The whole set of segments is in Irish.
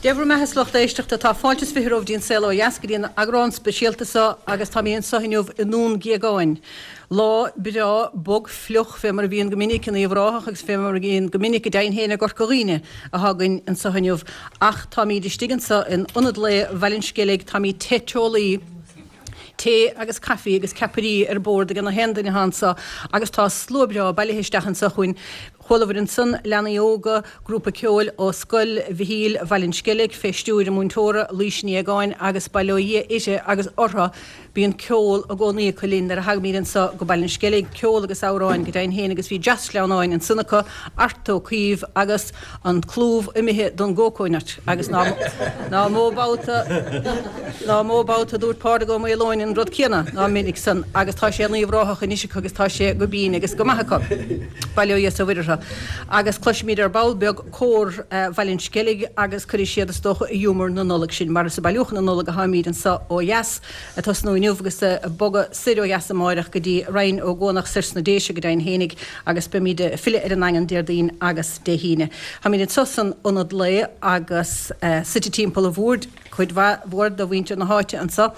Dé bhur mbeatha a lucht éisteachta, tá fáilte is 20 romhaibh dtí an Saol Ó Dheas, go dtí an eagrán speisialta seo agus táimid anseo inniu i nDún Géagáin. Lá breá bog fliuch fé mar a bhíonn go minic in Uíbh Ráthach agus fé mar a bhíonn go minic go deimhin féin i gCorca Dhuibhne atá againn anseo inniu ach táimid istigh anseo in Ionad Lae Bhaile an Sceilg, táimid te teolaí, tae agus caife agus ceapairí ar bord ag na haon duine atá anseo agus tá slua breá bailithe isteach anseo chugainn. Chualabhair ansan leanaí óga, grúpa ceoil ó Scoil Mhichíl Bhaile an Sceilg fé stiúir a múinteora, Laoise Ní Aogáin agus bail ó Dhia uirthi agus orthu, bíonn ceol i gcónaí acu linn nuair a thagaimid anso go Baile an Sceilg, ceol agus amhráin go deimhin féin agus bhí dreas sleamhnáin ansan acu, Art Ó Caoimh agus an clúmh imithe don gcócónut agus ná ná mó babhta ná mó babhta a dúirt Pádraig Ó Maoileoin an rud céanna ná minic san agus tá sé in Uíbh Ráthach anois acu agus tá sé go binn agus go maith acu. Bail ó Dhia is ó Mhuire orthu. Agus cloisfimid ar ball beag cór Bhaile an Sceilg agus cuirfidh siad is dócha i ghiúmar na Nollag sinn mar is ag bailiúchán na Nollag atáimid anso ó dheas ag tosnú inniu agus ag bogadh soir ó dheas amáireach go dtí Rinn Ó gCuanach soir sna Déise go deimhin fhéinig agus beimid ag filleadh ar an nDaingean Déardaoin agus Dé hAoine. Táimid anso san Ionad Lae agus suite timpeall an bhoird, cuid mhaith mhór de mhuintir na háite anso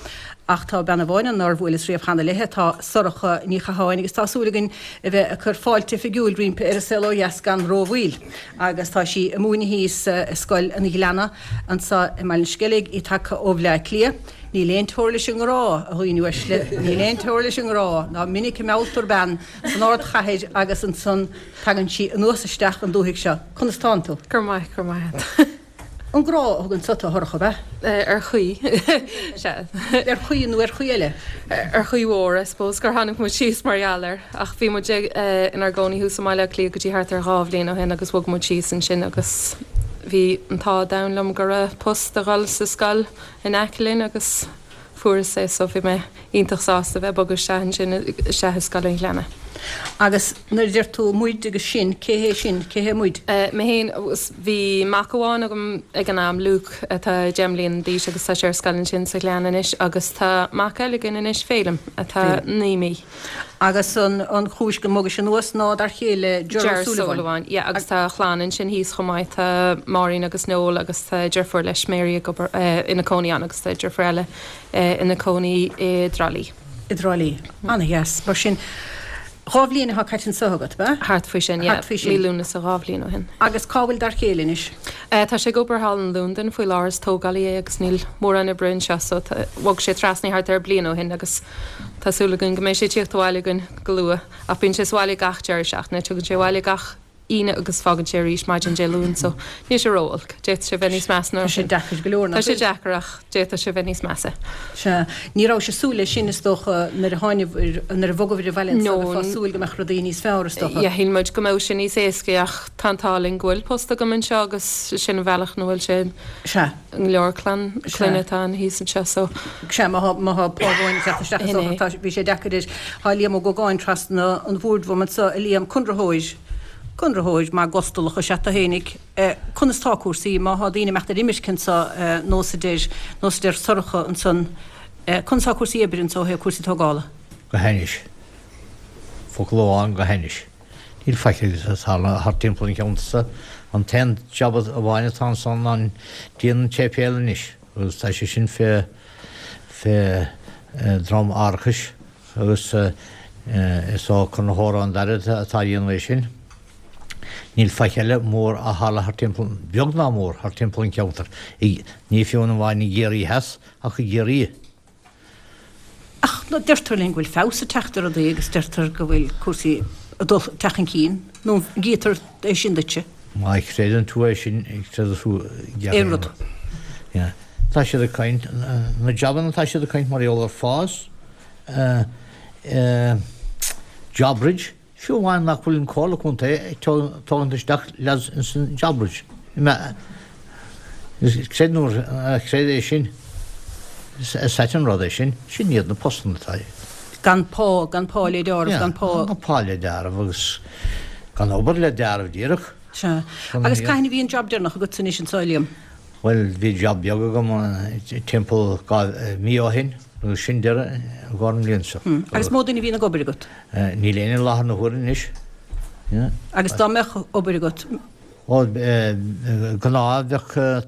ach tá bean amháin ann nár bhuaileas riamh cheana léithe, tá Sorcha Ní Chatháin agus tá súil againn a bheith ag cur fáilte oifigiúil roimpi ar An Saol Ó Dheas gan rómhoill agus tá sí ag múineadh thíos i Scoil an Ghleanna anso i mBaile an Sceilg, í tagtha ó Bhleá Cliath. Níl aon teora leis an ngrá, a dhaoine uaisle, níl aon teora leis an ngrá, ná minic a mealltar bean san ardchathair agus ansan tagann sí anuas isteach an dúthaigh seo. Conas tánn tú? Go maith, go maith. An grá a thug anso tú, a Shorcha, ab ea? Ar chaoi, sea. Ar chaoi nó ar chaoi eile? Ar chaoi mhór, I suppose, gur tháinig muid síos mar gheall air. Ach bhí muid inár gcónaí thuas i mBaile Átha Cliath go dtí thart ar dhá bhliain ó shin agus bhog muid síos ansin agus bhí an t-ádh domhain liom go raibh post a dhul sa scoil in aice linn agus fuaireas é so bhí mé iontach sásta bheith ag bogadh isteach ansin, isteach i Scoil an Ghleanna. Agus nuair a deir tú muid agus sinn, cé hé sinn, cé hé muid? Mé féin, bhí mac amháin agam ag an am, Luke, atá 10 mbliana d'aois agus tá sé ar scoil ansin sa Ghleann anois agus tá mac eile againn anois, Féilim, atá 9 mí. Agus an chúis go mbogais anuas ná dar chéile Ger O'Sullivan. Yeah, agus tá a chlann ansin thíos chomh maith, tá Máirín agus Noel agus tá deirfiúr leis, Mary, ag obair, ina cónaí ann agus tá deirfiúr eile ina cónaí i dTrá Lí. I dTrá Lí. Ana-dheas. Mar sin, dhá bhliain atá caite anseo agat, ab ea? Thart faoi sin, yeah. Thart faoi sin. Mí Lúnasa dhá bhliain ó shin. Agus cá bhfuil dar chéile anois? Tá sé ag obair thall in Londain faoi láthair, is tógálaí é agus níl mórán oibre anseo so bhog sé trasna thart ar bliain ó shin agus tá súil againn go mbeidh sé ag tíocht abhaile againn go luath. Ach bíonn sé sa bhaile gach deireadh seachtaine, tugann sé abhaile gach Aoine agus fágann sé arís maidin Dé Luain so níl sé ró-olc. D'fhéadfadh sé bheith níos measa ná sin. Tá sé deacair go leor, nach bhfuil? Tá sé deacair ach d'fhéadfadh sé bheith níos measa. Sea. Ní rabhais ag súil leis sin is dócha nuair a tháinigh, nuair a bhogabhair abhaile anso, bheifeá ag súil go mbeadh rudaí níos fearr is dócha. Yeah, shíl muid go mbeadh sé níos éasca ach tá an t-ádh linn go bhfuil post agam anseo agus sin an bhealach ina bhfuil sé. Sea. Go leor clann, clainne atá ann thíos anseo so. Sea, má tá, má tá pá amháin ag teacht isteach is dócha tá, bhí sé deacair air. Tá Liam Ó Gógáin trasna an bhoird uaim anseo, a Liam, conraitheoir, conraitheoir maith gustalach is ea tú fhéinig. Conas tá cúrsaí, má tá daoine ag imeacht ar imirce anseo nós a deir, nós a deir Sorcha ansan, conas tá cúrsaí oibre anseo ó thaobh cúrsaí tógála? Go hainnis. Focal amháin, go hainnis. Níl faic ag tarlú thart timpeall an cheantair seo. An t-aon jab amháin atá ansan ná díon an tséipéil anois agus tá sé sin fé fé dhroim árachais agus is ó conraitheoir ón Dairbhre atá a dhéanamh é sin. Níl faic eile mór a tharla thart timpeall, beag ná mór, thart timpeall an cheantair. Ní fiú amháin i gCiarraí Theas ach i gCiarraí. Ach deirtear linn go bhfuil feabhas ag teacht ar rudaí agus deirtear go bhfuil cúrsaí ag dul ag teacht chun cinn, nó an gcítear é sin duitse? Má chreideann tú é sin, creideann tú aon rud. Yeah. Tá siad ag caint, na jabanna tá siad ag caint mar gheall ar fás, JobBridge, Fiú amháin nach bhfuil an Comhairle Contae ag tógaint isteach lads ins an JobBridge. Creid nó ná creid é sin, is ait an rud é sin, sin iad na postanna atá. Gan pá, gan pá le deáramh, gan pá. Gan pá le deáramh agus gan obair le deáramh díreach. Sea. Agus cathain a bhí an job deireanach agatsa anois anso, a Liam? Bhuel, bhí job beag agam timpeall mí ó shin agus sin deireadh i gcomhair an bhliain seo. Agus mó duine a bhíonn ag obair agat? Níl éinne i láthair na huaire anois. Agus dá mbeadh obair agat? Ó, gnáth bheadh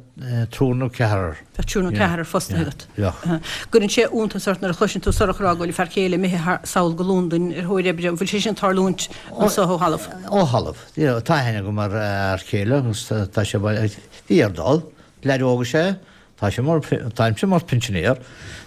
triúr nó ceathrar. Bheadh triúr nó ceathrar fostaithe agat. Bheadh. Cuireann sé iontas ort nuair a chloiseann tú Sorcha ag rá go bhfuil a fear céile imithe sall go Londain ar thóir oibre. An bhfuil sé sin ag tarlúint anso ó thalamh? Ó thalamh. Tá aithne agam ar fhear céile agus tá sé, bhí air dul. Leaid óg is ea é. Tá sé mar, táimse mar pinsinéir,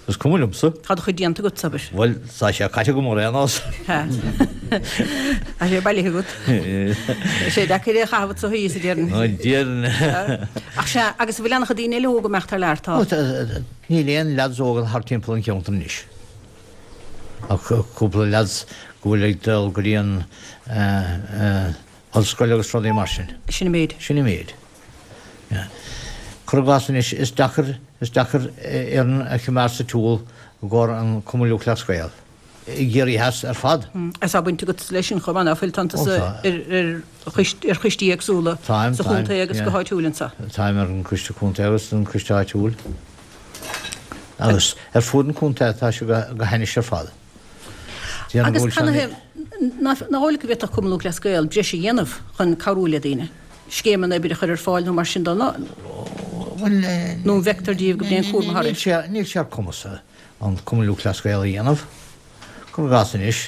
is cuma liomsa. Tá do chuid déanta agat, abair. Bhuel, tá sé caite agam ar aon nós. Tá sé bailithe agat. Tá sé deacair é a chaitheamh anso thíos, a déarfainn. Ó, déarfainn. Ach sea, agus an bhfuil an-chuid daoine eile óga ag imeacht thar lear? Tá. Níl aon leaids óga thart timpeall an cheantair anois. Ach cúpla leaids go bhfuil ag dul go dtí an ollscoil agus rudaí mar sin. Sin an méid. Sin an méid. Cuir i gcás anois, is deacair, is deacair fhoireann a choimeád sa tsiúl i gcomhair an Cumann Lúthchleas Gael i gCiarraí Theas ar fad. Agus tá baint agat leis sin chomh maith, ná fuil? Tánn tusa ar choistí éagsúla sa chontae agus go háitiúil anseo. Táim ar an gcoiste contae agus an coiste áitiúil. Agus ar fud an chontae tá sé go hainnis ar fad. Agus canathaobh nach dóigh leat go bhféadfadh Cumann Lúthchleas Gael breis a dhéanamh chun cabhrú le daoine, scéimeanna oibre a chur ar fáil nó mar sin de? Nó an bhfeictear daoibh go mbíonn cúram thairis? Níl sé ar cumas an Cumann Lúthchleas Gael a dhéanamh. Cuir i gcás anois,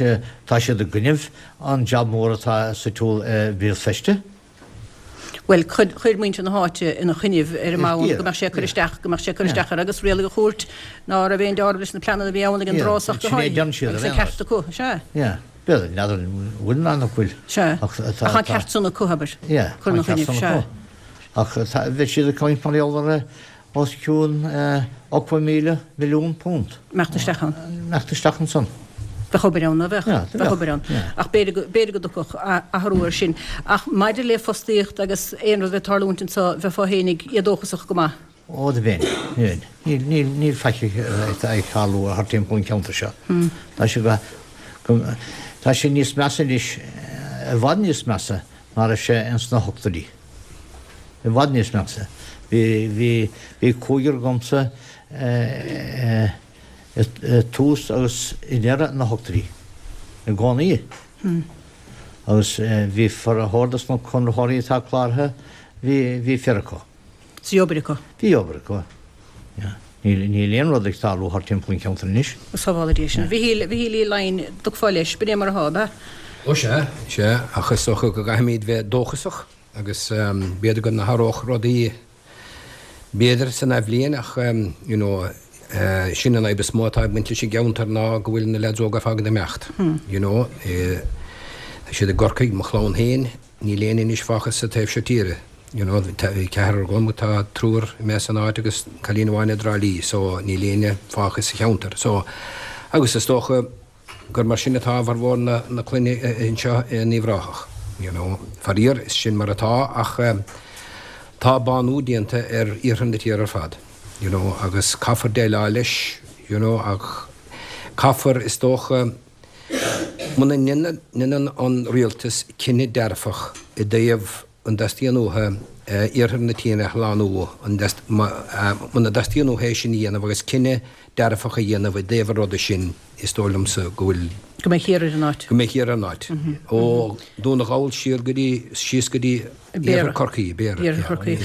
tá siad i gcoinnibh an jab mór atá sa tsiúl i Béal Feirste. Bhuel, chuir muintir na háite ina choinnibh ar an mbonn go mbeadh sé ag cur isteach, go mbeadh sé ag cur isteach orthu agus rialaigh an chúirt ná raibh aon deáramh leis na pleananna a bhí ann ag an dtráth ach go háirithe, agus an ceart acu, sea. Yeah, b'fhéidir, n'fheadar an bhfuil ná nach bhfuil. Sea, ach tá an ceart san acu, abair, cur ina choinnibh, sea. Ach bheadh siad ag caint mar gheall ar os cionn 80,000 milliún punt. Imeacht isteach ann. Imeacht isteach ansan. Bheadh obair ann, ná bheadh? Yeah, bheadh obair ann. Ach b'fhéidir go dtiocfadh athrú air sin. Ach maidir le fostaíocht agus aon rud a bheith ag tarlúint anso, bheifeá fhéinig éadóchasach go maith. Ó, do bheinn. Bheinn. Níl, níl, níl faic ag tarlú thart timpeall an cheantair seo. Tá sé go, go, tá sé níos measa anois, i bhfad níos measa ná raibh sé ins na hochtóidí. I bhfad níos measa. Bhí, bhí, bhí cúigear agamsa i dtús agus i ndeireadh na hochtóidí. I gcónaí. Agus bhí formhór dos na conraitheoirí atá cláraithe, bhí, bhí fir acu. Bhí obair acu. Bhí obair acu. Yeah. Níl, níl aon rud ag tarlú thart timpeall an cheantair anois. Sábhála Dia sinn. Mhichíl, Mhichíl Uí Laighin, dtiocfá leis, b'in é mar atá, ab ea? Ó sea, sea, ach is dócha go gcaithfimid bheith dóchasach agus b'fhéidir go n-athródh rudaí b'fhéidir san athbhliain ach you know sin an fhadhb is mó atá ag baint leis an gceantar ná go bhfuil na leaids óga ar fad ag imeacht you know. Tá siad i gCorcaigh, mo chlann féin, Níl éinne anois fágtha sa taobh seo tíre, you know, bhí ceathrar agam, tá triúr imithe as an áit agus cailín amháin i dTrá Lí, so níl éinne fágtha sa cheantar. So, agus is dócha gur mar sin atá formhór na, na clainne anseo in Uíbh Ráthach, you know. Faraor, is sin mar atá ach tá bánú déanta ar iarthar na tíre ar fad, you know, agus caithfear déileáil leis, you know, ach caithfear, is dócha, Muna ndéanann an rialtas cinneadh dearfach i dtaobh an dteastaíonn uathu iarthar na tíre a shlánú, muna dteastaíonn uathu é sin a dhéanamh agus cinneadh dearfach a dhéanamh i dtaobh an ruda sin, is dóigh liomsa go bhfuil. Go mbeidh thiar ar an áit. Go mbeidh thiar ar an áit. Ó Dún na nGall siar go dtí, síos go dtí. Iarthar Chorcaí, Béarra. Iarthar Chorcaí.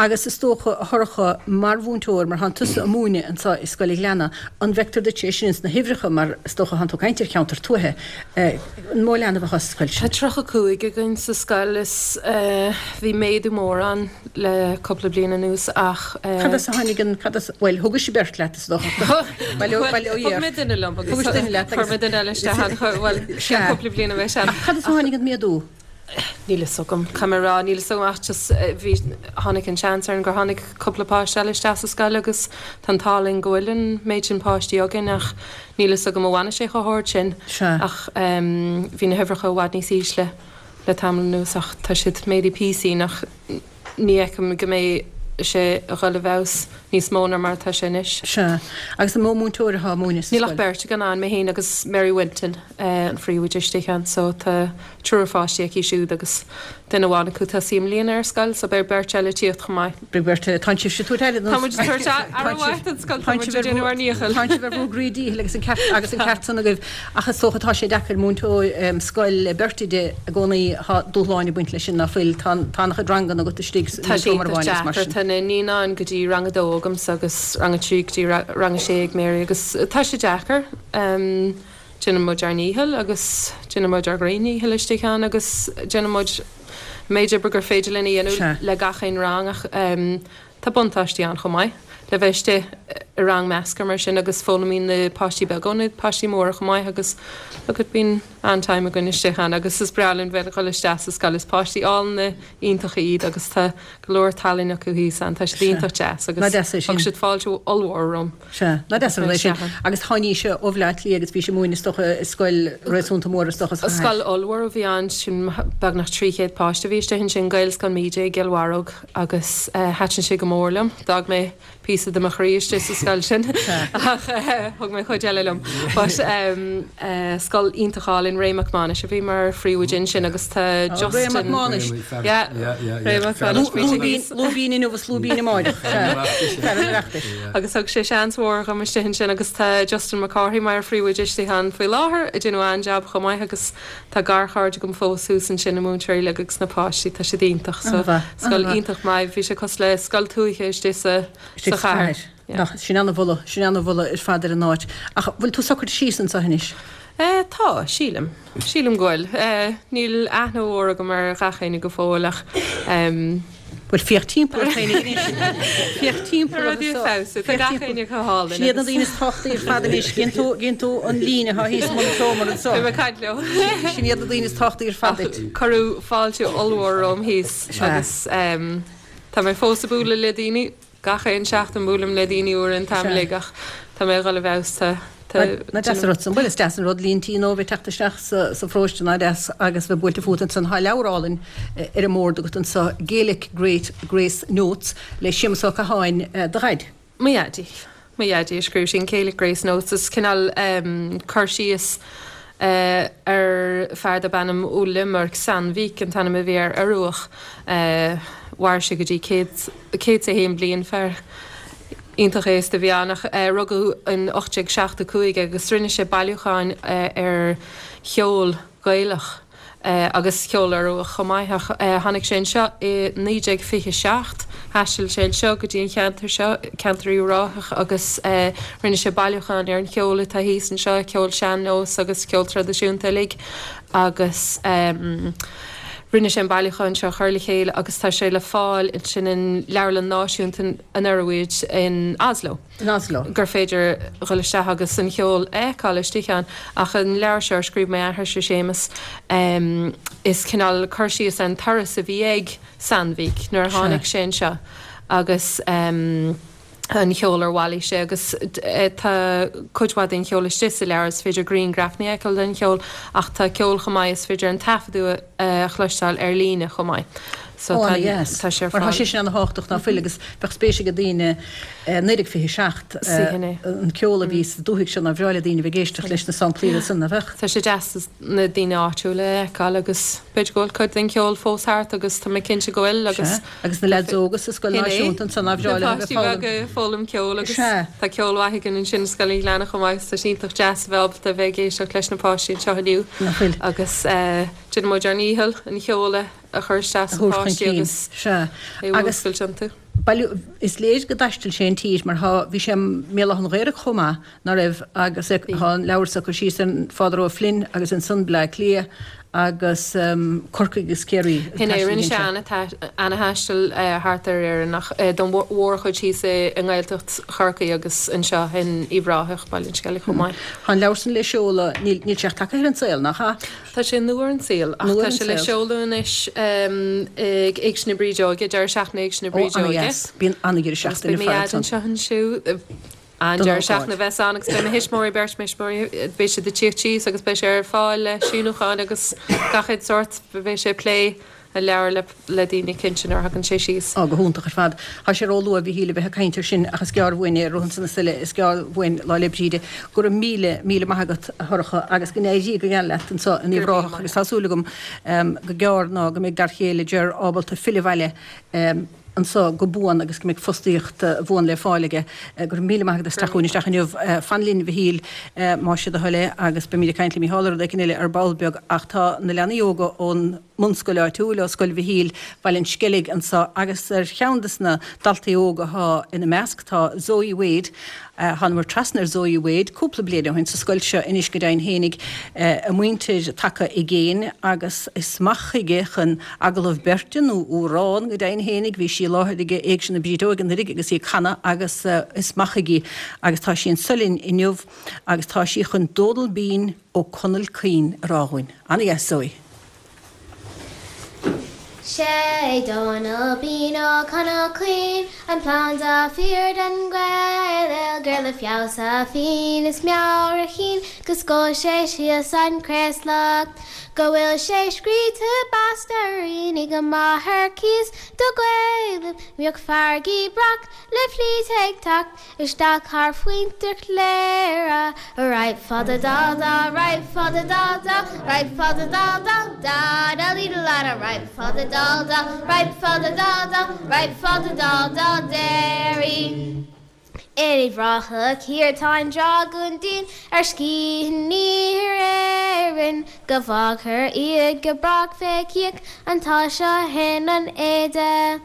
Agus is dócha, a Shorcha, mar mhúinteoir, mar thánn tusa ag múineadh anseo i Scoil an Ghleanna, an bhfeictear duit é sin ins na huimhreacha mar is dócha thánn tú ag caint ar cheantar tuaithe, an mó leanbh atá sa scoil sin? Tá 35 againn sa scoil is bhí méadú mór ann le cúpla bliain anuas ach. Cad as a tháinig an, cad as, bhuel, thugais beirt leat is dócha. Bhuel, thug mé duine liom agus chuir mé duine eile isteach ann, bhuel, cúpla bliain ó shin. Ach cad as a tháinig an méadú? Níl fhios agam, caithfidh mé a rá, níl fhios agam ach just bhí, tháinig an seans orainn gur tháinig cúpla páiste eile isteach sa scoil agus tá an t-ádh linn go bhfuil an méid sin páistí againn ach níl fhios agam an bhfanfaidh sé chomh hard sin ach bhí na huimhreacha i bhfad níos ísle le tamall anuas ach tá siad méadaithe píosín ach ní fheicim go mbeidh. sé a dhul i bhfeabhas níos mó ná mar atá sé anois. Sea. Agus an mó múinteoir atá ag múineadh sa Níl ach scoil? beirt againn ann, mé féin agus Mary Winton, an phríomhoide istigh ann. So tá triúr pháistí aici siúd agus duine amháin acu tosaithe i mbliana ar scoil, so beidh beirt eile ag tíocht chomh maith. Beidh beirt eile. Tánn sibhse ag tabhairt aire don. Tá muid ag tabhairt aire mhaith don scoil, tá muid ag déanamh ár ndícheall. Tánn sibh ar bhur gcroí díchill agus an ceart agus an ceart san agaibh. Ach is dócha tá sé deacair múinteoir scoil le beirt oide i gcónaí, tá dúshláin ag baint leis sin ná fuil, tá an-chuid ranganna agat istigh sa seomra amháin agus mar sin. Tá na naíonáin go dtí rang a dó agamsa agus rang a trí go dtí rang a sé ag Mary agus tá sé deacair. Déanann muid ár ndícheall agus déanann muid ár gcroí ndícheall istigh ann agus déanann muid an méid oibre gur féidir linn a dhéanamh le gach aon rang ach tá buntáistí ann chomh maith le bheith istigh i rang measctha mar sin agus foghlaimíonn na páistí beaga ó na páistí móra chomh maith agus look at bíonn an-time againn istigh ann agus is breá linn bheith ag dul isteach sa scoil. Is páistí álainne iontacha iad agus tá go leor talainn acu thíos ann. Tá siad iontach deas agus thug siad fáilte ollmhór romham. Sea, nach deas an rud é sin. Agus tháinís ó Bhaile Átha Cliath agus bhí sí ag múineadh is dócha i scoil réasúnta mór is dócha sa chathair. Scoil ollmhór a bhí ann, sin beagnach 300 páiste a bhí istigh ansin, Gaelscoil Míde i gCill Bharróg agus thaitin sé go mór liom. D'fhág mé píosa de mo chroí istigh sa scoil sin ach thug mé cuid eile liom. But scoil iontach álainn, Ray Mac Mánais a bhí mar phríomhoide ansin agus tá Justin. Ray Mac Mánais. Yeah, Ray Mac Mánais. Lúibín inniu is lúibín amáireach. Fear an Oireachtais. Agus thug sé seans mhór dhom istigh ansin agus tá Justin Mac Cárthaigh mar phríomhoide istigh ann faoi láthair ag déanamh an-jab chomh maith agus tá garchairde agam fós thuas ansin, na múinteoirí uilig agus na páistí, tá siad iontach. So scoil iontach maith, bhí sé cosúil le scoil tuaithe istigh sa sa chathair. Nach, sin ana-mholadh, sin ana-mholadh ar fad ar an áit. Ach bhfuil tú socraithe síos anseo anois? Eh, tá, sílim. Sílim go bhfuil. Eh, níl aithne mhór agam ar ghach éinne go fóill ach em. Bhuel, féach timpeall ort féin anois. Féach timpeall ort. Rudaí ag feabhsú. Tá gach éinne go hálainn. Sin iad na daoine is tábhachtaí ar fad anois. Gíonn tú, gíonn tú an líne atá thíos i mbun an tseomra anseo. Beidh mé ag caint leo. Sin iad na daoine is tábhachtaí ar fad duit. Cuireadh fáilte ollmhór romham thíos agus em tá mé fós ag bualadh le daoine. Gach aon seachtain buailim le daoine úra an t-am uilig ach tá mé ag dhul i bhfeabhas. Tá, tá, Nach deas an rud san. Bhuel is deas an rud líon tí nua bheith teacht isteach sa, sa pharóiste nach deas agus bheith buailte fút ansan. Tá leabhar álainn ar an mbord agat anso, Gaelic Great Grace Notes le Séamus Ó Catháin, do dhaid. Mo dhaidí. Mo dhaidí a scríobh sin, Gaelic Grace Notes. Is cineál cur síos ar fear darb ainm Ole Mørk Sandvik an t-ainm a bhí air, Ioruach. Mhair sé go dtí 101 bliain, fear iontach aosta a bhí ann ach rugadh in 1875 é agus rinne sé bailiúcháin ar cheol Gaelach. agus ceol Ioruach chomh maith ach tháinig sé anseo i 1927. Thaistil sé anseo go dtí an cheantar seo, ceantar Uíbh Ráthach agus rinne sé bailiúchán ar an cheol atá thíos anseo, ceol sean-nós agus ceol traidisiúnta uilig agus rinne sé an bailiúchán seo a chur le chéile agus tá sé le fáil ansin in Leabharlann Náisiúnta an Ioruaid in Oslo. in Oslo. gur féidir dhul isteach agus an cheol a fheiceáil istigh ann. Ach an leabhar seo a scríobh m'athairse Séamus, is cineál cur síos ar an turas a bhí ag Sandvik nuair a tháinig sé anseo agus an cheol ar bhailigh sé agus tá cuid mhaith den cheol istigh sa leabhar, is féidir grianghrafanna a fheiceáil den cheol ach tá ceol chomh maith, is féidir an taifeadadh a chloisteáil ar líne chomh maith. So tá sé ar fáil. Mar tá sé sin ana-thábhachtach ná fuil agus bheadh spéis ag daoine 1927 an ceol a bhí sa dúthaigh seo nár bhreá le daoine a bheith ag éisteacht leis na samplaí san, nach bheadh? Tá sé deas na daoine áitiúla a fheiceáil agus b'fhéidir go bhfuil cuid den cheol fós thart agus tá mé cinnte go bhfuil agus. Sea, agus na leaids óga sa scoil náisiúnta ansan nár bhreá leo a bheith ag foghlaim. Na páistí beaga ag foghlaim ceoil agus tá ceol mhaith againn ansin i Scoil an Ghleanna chomh maith agus tá sé iontach deas a bheith ábalta a bheith ag éisteacht leis na páistí anseo inniu. Nach bhfuil? Agus déanann muid ár ndícheall an cheol a chur isteach sna páistí agus é a mhúscailt iontu. Bail, is léir go dtaistil sé an tír mar thá, bhí sé i mBéal Átha an Ghaorthaidh chomh maith, ná raibh, agus thá an leabhar so cur síos ar Father O'Flynn agus ansan Bleá Cliath agus Corcaigh agus Ciarraí. Shin é, rinne sé ana-thaisteal thart ar Éirinn ach don mhórchuid thíos i nGaeltacht Chorcaí agus anseo in Uíbh Ráthach, Baile an Sceilg chomh maith. Thá an leabhar san le seoladh, níl sé ach tagtha ar an saol, nach ea? Tá sé nua ar an saol ach tá sé le seoladh anois ag Éigse na Brídeoige, deireadh seachtaine Éigse na Brídeoige. Ó, ana-dheas. Bíonn ana-dheireadh seachtaine ar fad ansan. Agus beidh mo dhaid anseo ansiúd. An-deireadh seachtaine a bheas ann agus beidh mo thuismitheoirí, beirt thuismitheoirí, beidh siad ag tíocht síos agus beidh sé ar fáil le síniúcháin agus gach aon sórt, beidh sé ag plé. A leabhar le le daoine cinnte nuair a thagann sé síos. Á, go hiontach ar fad. Tá sé ró-luath, a Mhichíl, a bheith ag caint air sin ach is gearr uainn é, rith ansan is uile, is gearr uainn Lá 'le Bríde. Go raibh míle, míle maith agat, a Shorcha, agus go n-éirí go geal leat anso in Uíbh Ráthach agus tá súil agam go gearr ná go mbeidh d'fhear chéile Ger ábalta filleadh abhaile anso go buan agus go mbeidh fostaíocht bhuan le fáil aige. Go raibh míle maith agat as teacht chugainn isteach inniu. Fan linn, a Mhichíl, más sé do thoil é, agus beimid ag caint le Mícheál ar rud éicint eile ar ball beag ach tá na leanaí óga ón mbunscoil áitiúil, ó Scoil Mhichíl, Baile an Sceilg anso agus ar cheann de na daltaí óga atá ina measc tá Zoe Wade. Thánamar trasna ar Zoe Wade cúpla bliain ó shin sa scoil seo anois go deimhin fhéinig, a muintir tagtha i gcéin agus is amach chuige chun agallamh beirte nó amhrán go deimhin fhéinig. Bhí sí i láthair ag Éigse na Brídeoige anuraidh agus í ag canadh agus is amach chuige agus tá sí anso linn inniu agus tá sí chun Dónal Bean Ó Conaill Caoin a rá dhúinn. Ana-dheas Zoe. Sé Dónal Bean Ó Conaill Caoin an planda fíor den Ghaeilge gur le feabhas a phinn is meabhair a chinn go scoil sé síos an craoslach go bhfuil sé scríte bastairíní go maith ar cíos do Ghaelaibh mbíodh farraigí breac le flít ag teacht Isteach thar Phointe Chléire Right fada da da right fada da da right fada da da da da lee la da right fada da da right fada da da right fada da da Derry. In Uíbh Ráthach thiar tá an dragún dian ar scíth in iarthar Éireann go bhfágfar iad go brách fé chíoch an t-ádh seo shin an éide.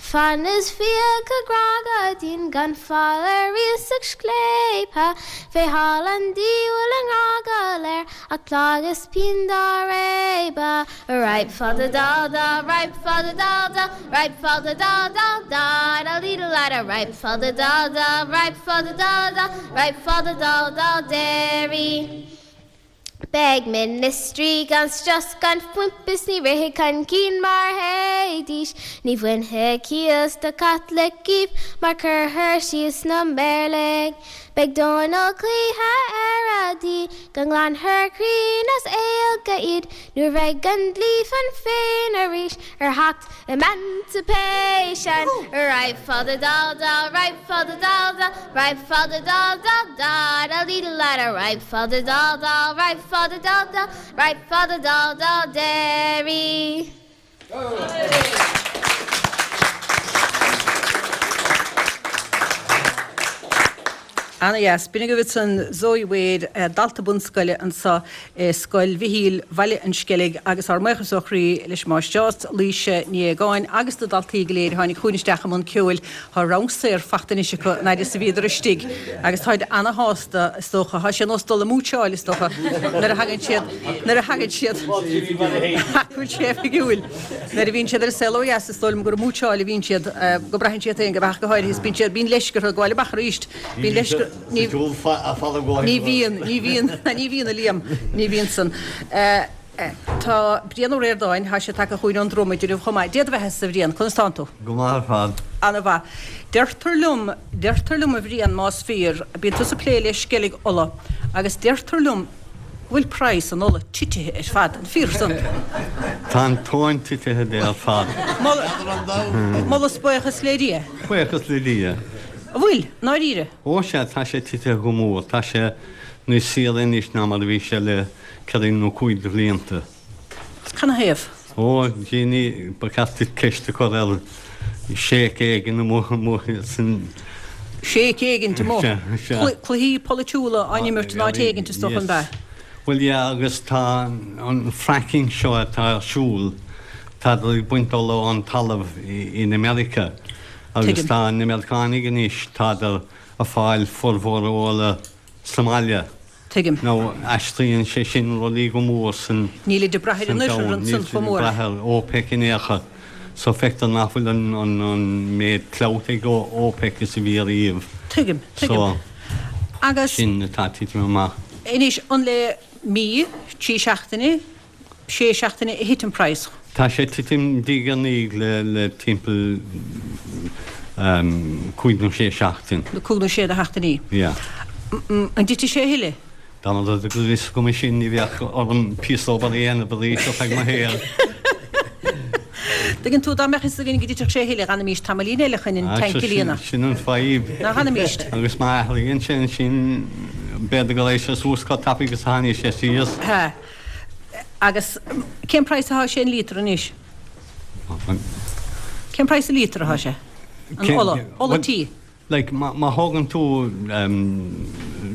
Fann is fiacha grá go dian gan fáil ar iasacht scléipe fé sháil an diabhail a ngrá go léir ach pláigh is pian dá réabadh. Right fada da da right fada da da right fada da da da da lee da la da right fada da da right fada da da right fada da da Derry. Beidh ministrí gan strus gan phoimp is ní rithfidh chun cinn mar théidís. Ní bhainfidh cíos do Chaitlicigh mar cuirfear síos na mBéarlaigh. Beidh Dónal cloíthe ar a dtí go nglanfar cruinn as Gaeilge iad nuair bheidh an dlí fan féin arís ar theacht Emancipation Right fada da da right fada da da right fada da da da da lee da la da right fada da da right fada da da right fada da da Derry. Ana-dheas. B'in agaibh ansan Zoe Wade, dalta bunscoile anso i Scoil Mhichíl, Bhaile an Sceilg agus ár mbuíochas ó chroí leis an Máistreás, Laoise Ní Aogáin agus na daltaí go léir a tháinig chugainn isteach i mbun ceoil. Tá rang saor fachta anois acu an fhaid is a bhíodar istigh agus táid ana-shásta is dócha. Tá sé ar nós dul ag múitseáil is dócha nuair a thagann siad, nuair a thagann siad, ach go bhfuil sé oifigiúil. Nuair a bhíonn siad ar an saol ó dheas is dóigh liom gur ag múitseáil a bhíonn siad, go braitheann siad féin go ach go háirithe is bíonn siad, bíonn leisce orthu gabháil amach arís. Bíonn leisce, ní, ní bhíonn, ní bhíonn, ní bhíonn a Liam, ní bhíonn san. Tá Brian Ó Ríordáin, tá sé tagtha chugainn ón Dromaid inniu chomh maith. Dia do bheatha-sa a Bhriain, conas tánn tú? Go maith ar fad. Ana-mhaith. Deirtear liom, deirtear liom a Bhriain, más fíor, bíonn tusa ag plé le sceilg ola agus deirtear liom go bhfuil praghas an ola titithe ar fad, an fíor san? Tá an tóin titithe de ar fad. Moladh is buíochas le Dia. Buíochas le Dia. An bhfuil, i ndáiríre? Ó sea, tá sé titithe go mór. Tá sé níos saoire anois ná mar a bhí sé le ceithre nó cúig de bhlianta. Canathaobh? Ó, gee, ní, ba cheart duit ceist a chur ar sheikh éigin amuigh san. Sheikh éigin amuigh? Sea, sea. Cluichí polaitiúla á n-imirt in áit éigin, is dócha, an ea? Bhuel, yeah, agus tá an fracking seo atá ar siúl, tádar ag baint ola ón talamh in America. Agus tá na Meiriceánaigh anois, tádar a fáil formhór a ola sa mbaile. Tuigim. Nó aistríonn sé sin rudaí go mór san Nílid ag brath ar an oirthear ansan chomh mór. Níl siad ag brath ar OPEC in aon chor. So feictear nach bhfuil an méid clout ag OPEC is a bhí ariamh. Tuigim, tuigim. So, Agus. sin atá ag titim amach. Anois, an le mí, trí seachtaine, sé seachtaine a thit an praghas. Tá sé ag titim diaidh ar ndiaidh le timpeall cúig nó sé seachtain. Cúig nó sé de sheachtainí. Yeah. An dtitfidh sé a thuilleadh? Dá mba rud é go raibh fhios agam é sin ní bheadh orm píosa obair a dhéanamh arís ar feadh mo shaoil. Tuigeann tú, dá mbeadh fhios againn go dtitfeadh sé a thuilleadh, d'fhanfaimís tamaillín eile chun an tanc a líonadh. Sin an fadhb. Nach bhfanfaimís? Agus má athraíonn sé ansin, b'fhéidir go raghadh sé suas chomh tapaidh agus a tháinig sé síos. Sea. Agus cén praghas atá sé an líotar anois? Cén praghas an líotar atá sé? An ola. Ola tí. Like, má thógann tú,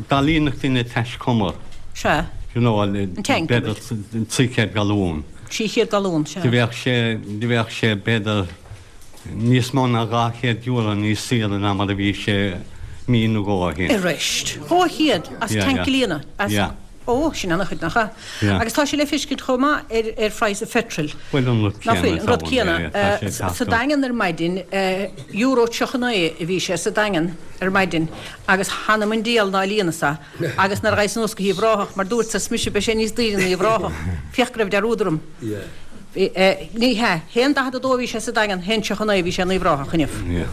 dá líonfadh duine taiscumar. Sea. You know, An tank, b'fhéidir 300 galún. 300 galún, sea. Do bheadh sé, do bheadh sé b'fhéidir níos mó ná €200 níos saoire ná mar a bhí sé mí nó dhó ó shin. Arís. 200 as tank a líonadh? As. Yeah. Ó, sin an-chuid, nach ea? Yeah. Agus tá sé le feiscint chomh maith ar ar phraghas an pheitril. Bhuel, an rud Nach céanna bhfuil? An rud is céanna. yeah, tá sé ag teacht Sa up. Daingean ar maidin, euro 39 a bhí sé sa Daingean ar maidin agus th'anam 'on diabhal ná líonas é agus nuair a ghabhas anuas go hUíbh Ráthach, mar dúirt is mise, beidh sé níos daoire in Uíbh Ráthach. Féach go raibh dearúd orm. Yeah. Bhí, ní hea, 1.42 a bhí sé sa Daingean, 1.39 a bhí sé in Uíbh Ráthach inniu. Yeah.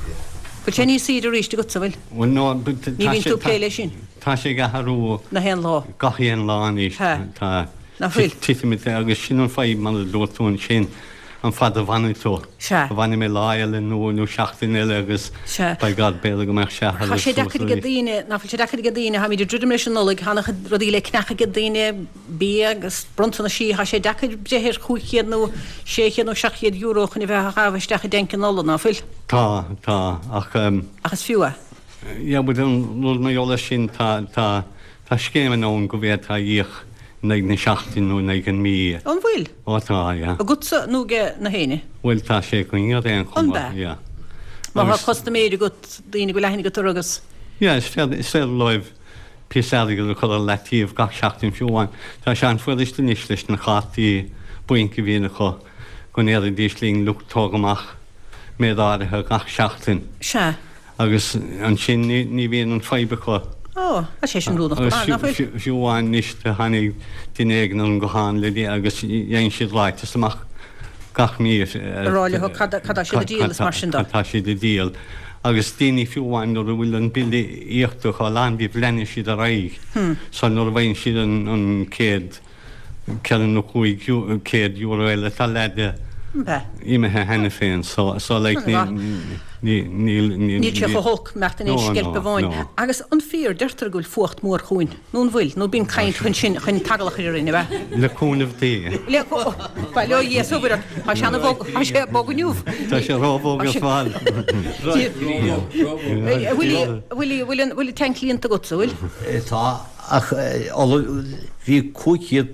Bhfuil sé níos saoire arís agatsa, bhfuil? Bhuel, no, but Ní tá bhíonn sé, tú ag tá, plé leis sin. Tá sé ag athrú Na haon lá. gach aon lá anois. Sea. Tá Nach bhfuil? titim agus sin an fadhb mar a dúirt tú ansin, an fad a bhfanfaidh tú. Sea. Fanfaidh mé lá eile nó nó seachtain eile agus Sea. by God b'fhéidir go mbeadh sé Tá athraithe sé suas deacair ag arís. daoine, nach bhfuil sé deacair ag daoine, táimid ag druidim leis an Nollaig, tá an-chuid rudaí le ceannach ag daoine, bia agus bronntanaisí, tá sé deacair breith ar 500 nó 600 nó 700 euro chun a bheith á chaitheamh isteach i dtanc an ola, ná fuil? Tá, tá, ach. Ach is fiú é. Yeah but an rud mar gheall air sin tá tá tá scéimeanna ann go bhféadfá íoc in aghaidh na seachtaine nó in aghaidh an mí. An bhfuil? Ó tá, yeah. Agatsa nó ag na héinne? Bhuel tá sé againn ar aon An chuma, b'ea? yeah. Má tá Agus. custaiméir agat, daoine go bhfuil aithne agat orthu agus. Yeah is féidir is féidir leo píosa airgid a chur ar leataobh gach seachtain fiú amháin. Tá sé an-fhuirist anois leis na cártaí bainc a bhíonn acu go ndéarfaidís linn look tóg amach méid áirithe gach seachtain. Sea. Agus ansin ní bhíonn an fadhb acu. Ó, tá sé sin rúnach go maith, nach bhfuil? Fiú amháin anois do tháinig duine éigin ar an guthán le agus dhein siad ráiteas amach gach mí. A rá leo cad tá siad a díol is mar sin de. Cad tá siad a díol. Agus daoine fiú amháin nuair a bhfuil an bille íoctha acu a lán díobh leanann siad ar aghaidh. So nuair a bhfaigheann siad an chéad 4 nó 500 euro eile tá leath de imithe cheana féin so so like ní ní níl níl Níl sé chomh holc mbeadh in aon sceilp amháin. Agus an fíor, deirtear go bhfuil fuacht mór chugainn, nó an bhfuil? Nó bíonn caint chun sin, chun tagallach a chur orainn, ab ea? Le cúnamh Dé. Le Bail ó Dhia is ó Mhuire ort. Tá sé ana-bhog, tá sé bog inniu. Tá sé róbhog ar fad. A Willie, a Willie, bhfuil an bhfuil an tanc líonta agatsa, bhfuil? Tá. Ach ola, bhí £500,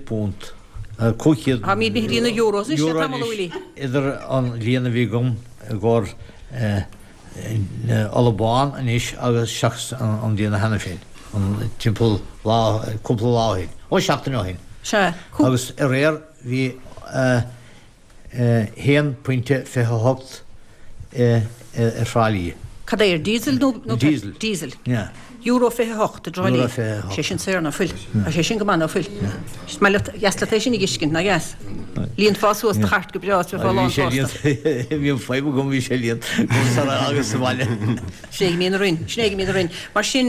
500. Táimid imithe go dtí na euros anois le tamall, a Willie. Idir an líon a bhí agam i gcomhair ola bán anois agus seachas an líon cheana féin, an timpeall lá, cúpla lá ó shin, ó seachtain ó shin. Sea. Agus aréir bhí. 1.28 i Trá Lí. Cad é, ar diesel nó nó Diesel. Diesel. Yeah. Euro 28 i dTrá Lí. Euro 28. Sé sin saor ná fuil. Tá sé sin go maith ná fuil. Is maith leat, dheas leat é sin a dh'fheiscint, nach dheas? Líonfá suas do chairt go breá is bheifeá lán sásta. Bhí an fadhb agam, bhí sé líonta agus sa bhaile. Sin é go mbíonn orainn, sin é go mbíonn orainn. Mar sin,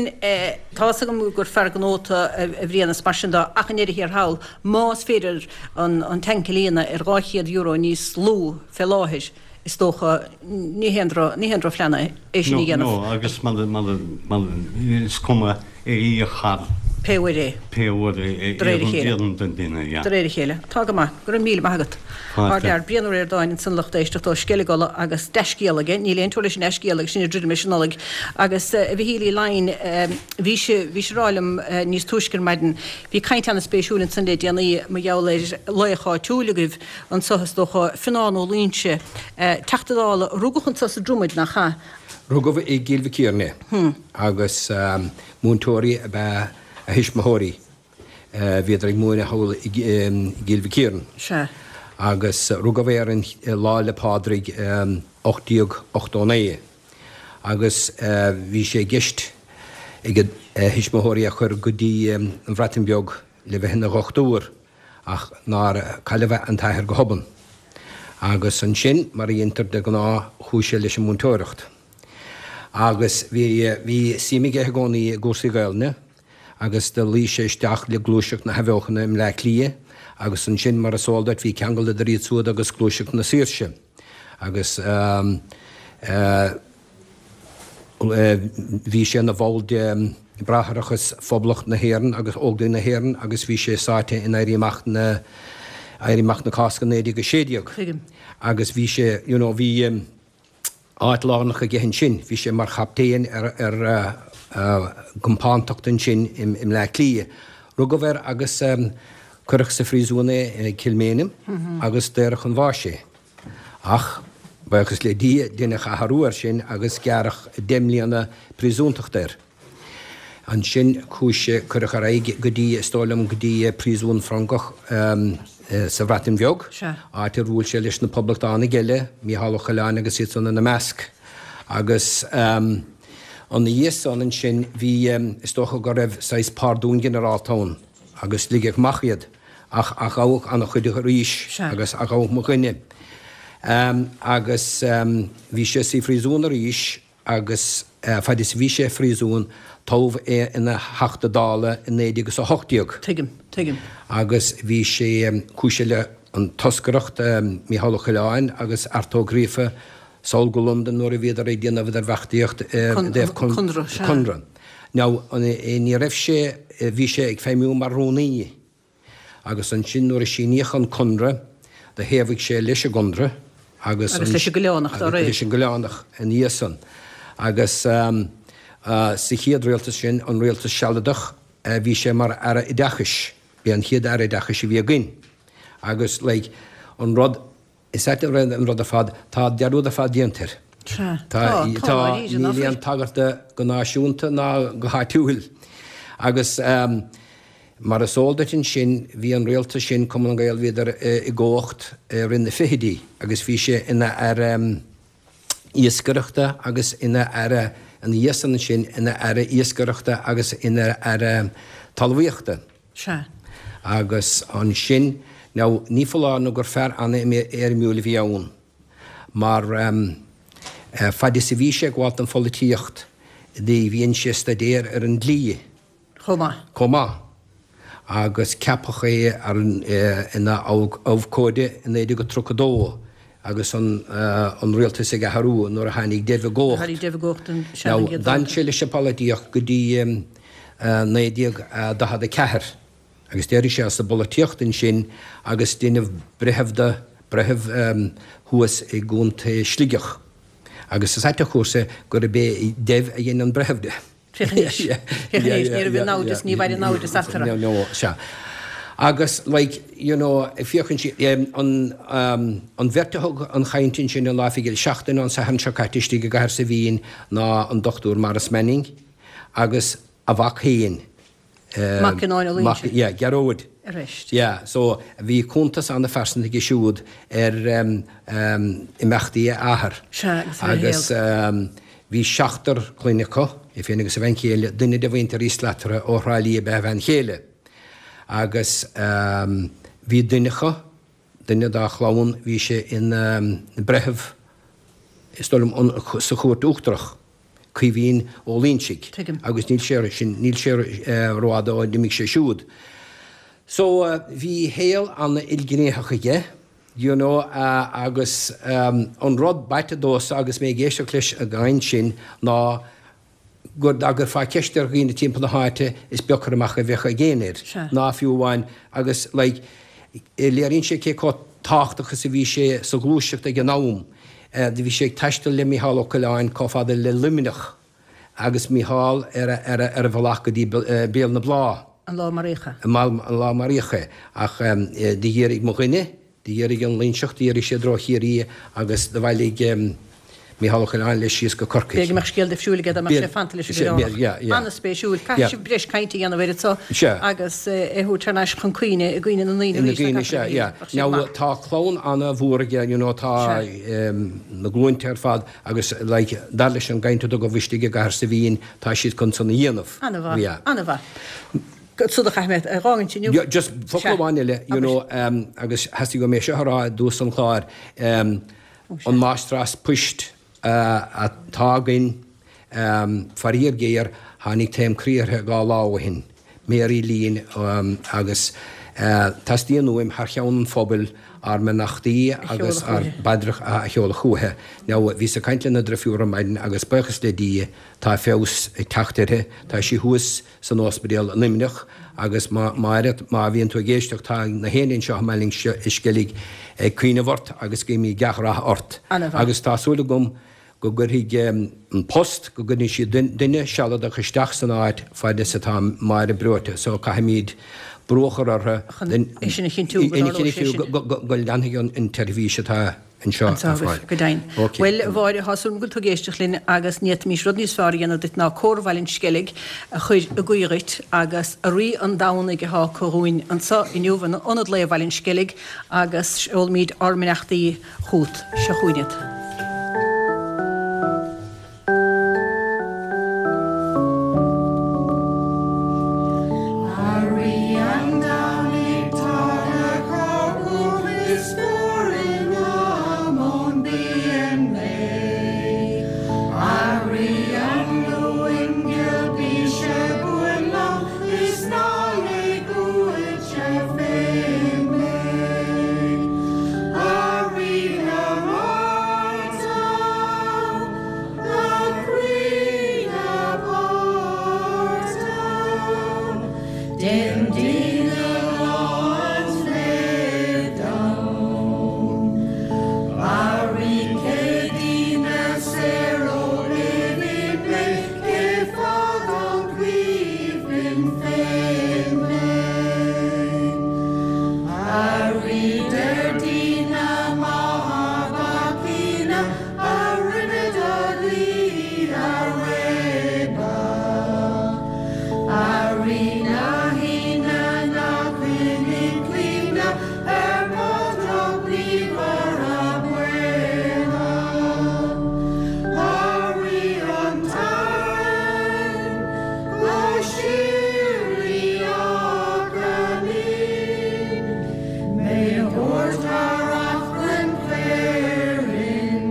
tá's agam gur fear gnó tú, a Bhriain, is mar sin de, ach i ndeireadh thiar thall, Más féidir an tanc a líonadh ar €200 níos lú fé láthair, is dócha, ní haon drochphlean é sin a dhéanamh. No, agus mar, mar, mar, is cuma é a íoc thar. Pé uair é. Pé uair é. De réir a chéile. Iarrann don duine, yeah. De réir a chéile. Tá go maith. Go raibh míle maith agat. Fáilte. Ár bhfear, Brian Ó Ríordáin ansan lucht éisteachta ó Sceilg Uladh agus dea-scéala aige, níl aon teora leis an dea-scéala agus sinn ag druidim leis an Nollaig. Agus a Mhichíl Uí Laighin, bhís, bhís ag rá liom níos túisce ar maidin, Bhí caint ana-spéisiúil ansan le déanaí mar gheall ar laoch áitiúil agaibh anso is dócha, Fionán Ó Loingsigh, Teachta Dála a rugadh anso sa Dromaid, nach ea? Rugadh i gCill Mhic Ciaráin é agus múinteoirí ab ea a thuismitheoirí. Bhíodar ag múineadh thall i gCill Mhic Ciaráin. Sea. Agus rugadh é ar an Lá 'le Pádraig 1889. agus bhí sé i gceist ag a thuismitheoirí é a chur go dtí an Bhreatain Bheag le bheith ina dhochtúir ach nár cailleadh an t-athair go hobann. Agus ansin, mar a dhéantar de ghnáth, chuaigh sé leis an múinteoireacht. Agus bhí bhí suim aige i gcónaí i gcúrsaí Gaelainne agus do luigh sé isteach le gluaiseacht na hAthbheochana i mBleá Cliath agus ansin, mar is eol duit, bhí ceangal idir iad siúd agus gluaiseacht na saoirse. Agus bhí sé ina bhall de Bhráithreachas Phoblacht na hÉireann agus Óglaigh na hÉireann agus bhí sé sáite in Éirí Amach na Éirí Amach na Cásca 1916. Tuigim. Agus bhí sé, you know, bhí áit lárnach aige ansin. Bhí sé mar chaptaen ar ar gcompántacht ansin i mBleá Cliath. Rugadh air agus cuireadh sa phríosún é i Kilmainham agus daoradh chun bháis é. Ach, buíochas le Dia, deineadh athrú air sin agus gearradh 10 mbliana príosúntachta air. Ansin chuaigh sé, cuireadh ar aghaidh go dtí, is dóigh liom, go dtí príosún Francach sa Bhreatain Bheag, áit ar bhuail sé leis na poblachtánaigh eile, Mícheál Ó Coileáin agus iad san ina measc. Agus ina dhiaidh san ansin bhí, is dócha go raibh saghas pardún ginearálta ann agus ligeadh amach iad. Ach athghabhadh an-chuid arís agus athghabhadh mo dhuine. Agus bhí sé sa phríosún arís agus fad is a bhí sé i phríosún toghadh é ina Theachta Dála i 1918. Tuigim, tuigim. Agus bhí sé, chuaigh sé le an toscaireacht, Mícheál Ó Coileáin agus Art Ó Gríofa sall go Londain nuair a bhíodar ag déanamh idirbheartaíocht i dtaobh Conradh. Now, ní raibh sé, bhí sé ag feidhmiú mar rúnaí agus ansin nuair a síníodh an Conradh, do thaobhaigh sé leis an gConradh agus. Agus leis an gCoileánach dá réir. Leis an gCoileánach ina dhiaidh san. Agus sa chéad rialtas sin, an rialtas sealadach, bhí sé mar Aire Oideachais. B'é an chéad Aire Oideachais a bhí againn. Agus like, an rud. Is ait an rud ar fad, tá dearúd ar fad déanta air. Sea, tá, tá, dáiríre, nach Níl aon tagairt dó go náisiúnta ná go háitiúil. Agus mar is eol duit ansin, bhí an rialtas sin, Cumann na nGael, bhíodar i gcumhacht i rith na fichidí agus bhí sé ina Aire Iascaireachta agus ina Aire, ina dhiaidh san ansin, ina Aire Iascaireachta agus ina Aire Talmhaíochta. Sea. Agus ansin, now, ní foláir nó gur fear an-éirimiúil a bhí ann, mar fad is a bhí sé ag gabháilt don pholaitíocht, dhein sé staidéar ar an dlí. Chomh maith. Chomh maith. Agus ceapadh é ina abhcóide i 1932 agus an rialtas ag athrú nuair a tháinig Dev i gcumhacht. Tháinig Dev i gcumhacht an Now, d'fhan sé leis an bpolaitíocht go dtí 1944 agus d'éirigh sé as an bpolaitíocht ansin agus deineadh breitheamh de, breitheamh thuas i gContae Sligeach. Agus is ait an chúrsa gurb é Dev a dhein an breitheamh de. Féach anois, féach anois, ní raibh aon naimhdeas, ní bheidh aon naimhdeas eatarthu. No, no, sea. Agus like, you know, féachann sí, an, an bheirt a thug an chaint ansin an lá fichead seachtain ón Satharn seo caite istigh i gCathair Saidhbhín ná an Dr. Maurice Manning agus a mhac féin, Mac Fhionnáin Ó Loingsigh. Yeah, Gearóid. Arís. Yeah, so bhí cuntas an-phearsanta aige siúd ar imeachtaí a athar. Sea, agus ar a shaol. Agus bhí seachtar clainne acu, é féin agus a bhean chéile, duine de mhuintir Uí Slatara ó Thrá Lí ab ea a bhean chéile. Agus bhí duine acu, duine dá chlann, bhí sé ina bhreitheamh, is dóigh liom, sa Chúirt Uachtarach. Caoimhín Ó Loingsigh. Tuigim. Agus níl sé sin, níl sé rófhada ó d'imigh sé siúd. So, bhí shaol an-ilghnéitheach aige, you know, agus an rud b'aite domhsa agus mé ag éisteacht leis an gcaint sin ná gur dá gcuirfeá ceist ar dhaoine timpeall na háite is beag cur amach a bheadh ag éinne air, ná fiú amháin agus like, léiríonn sé cé chomh tábhachtach is a bhí sé sa ghluaiseacht ag an am. Do bhí sé ag taisteal le Mícheál Ó Coileáin chomh fada le Luimneach agus Mícheál ar a bhealach go dtí Béal na Blá. An lá a maraíodh é. An lá a maraíodh é. Ach do dhírigh mo dhuine, do dhírigh an Loingseach, dhírigh siad i dtreo Chiarraí agus do bhailigh Mícheál Ó Coileáin leis síos go Corcaigh. B'fhéidir go mbeadh scéal difriúil aige dá mbeadh sé fanta leis an gCoileánach. An-spéisiúil. Caithfidh sibh breis cainte a dhéanamh air anseo agus é a thabhairt thar n-ais chun cuimhne i gcuimhne na ndaoine arís. Ina gcuimhne, sea, yeah. Now tá clann an-mhór aige, you know, tá na glúinte ar fad agus like dar leis an gcaint a tugadh istigh i gCathair Saidhbhín, tá siad chun san a dhéanamh. An-mhaith, an-mhaith. Sod a chaith mé ar dhá intinn inniu. Just focal amháin eile, you know, agus theastaigh uaim é seo a rá i dtús an chláir, An máistreás poist atá againn, faraor géar, tháinig taom croí uirthi 2 lá ó shin, Mary Leen, agus. Teastaíonn uaim, thar cheann an phobail, ár mbeannachtaí agus ár bpaidreacha a sheoladh chúithi. Now, bhíos ag caint lena drifiúr ar maidin agus buíochas le Dia tá feabhas ag teacht uirthi. Tá sí thuas san ospidéal i Luimneach agus Máire, má bhíonn tú ag éisteacht, tá na héinne anseo i mBaile an Sceilg ag cuimhneamh ort agus guímid gach rath ort. Agus tá súil agam go gcuirfidh An Post, go gcuirfidh siad duine sealadach isteach san áit fad is atá Máire breoite so caithfimid brú a chur orthu Chun é sin a chinntiú go dtarlóidh sé sin. go leanfaidh an tseirbhís atá anseo ar fáil. Go deimhin. Bhuel, a Mháire, tá súil agam go bhfuil tú ag éisteacht linn agus ní fhéadfaimis rud níos fearr a dhéanamh duit ná Cór Bhaile an Sceilg a chur ag guí dhuit agus a Rí an Domhnaigh atá acu dhúinn anseo inniu in Ionad Lae Bhaile an Sceilg agus seolaimid ár mbeannachtaí chugat. Seo chugainn iad. A Rí an Domhnaigh tá do chorp is fuar i ngam ón bpian mé. A Rí an Luain ghil bíse buan liom is ná lig uaitse féin mé. A Rí na Márta, glac croí na páirte, déan dínne lá an lae dom. A Rí Céadaoine saor ó nimh mé, cé fad an cuimhin féin mé. A Rí Déardaoine maith bhacaoine a rinne do dhlí a réabadh. A Rí na hAoine ná coinnigh cuimhne ar mo dhrochghníomhartha baotha. A Rí an tSathairn go síoraí Achaillín, mé a thabhairt thar achrann caoirfhinn.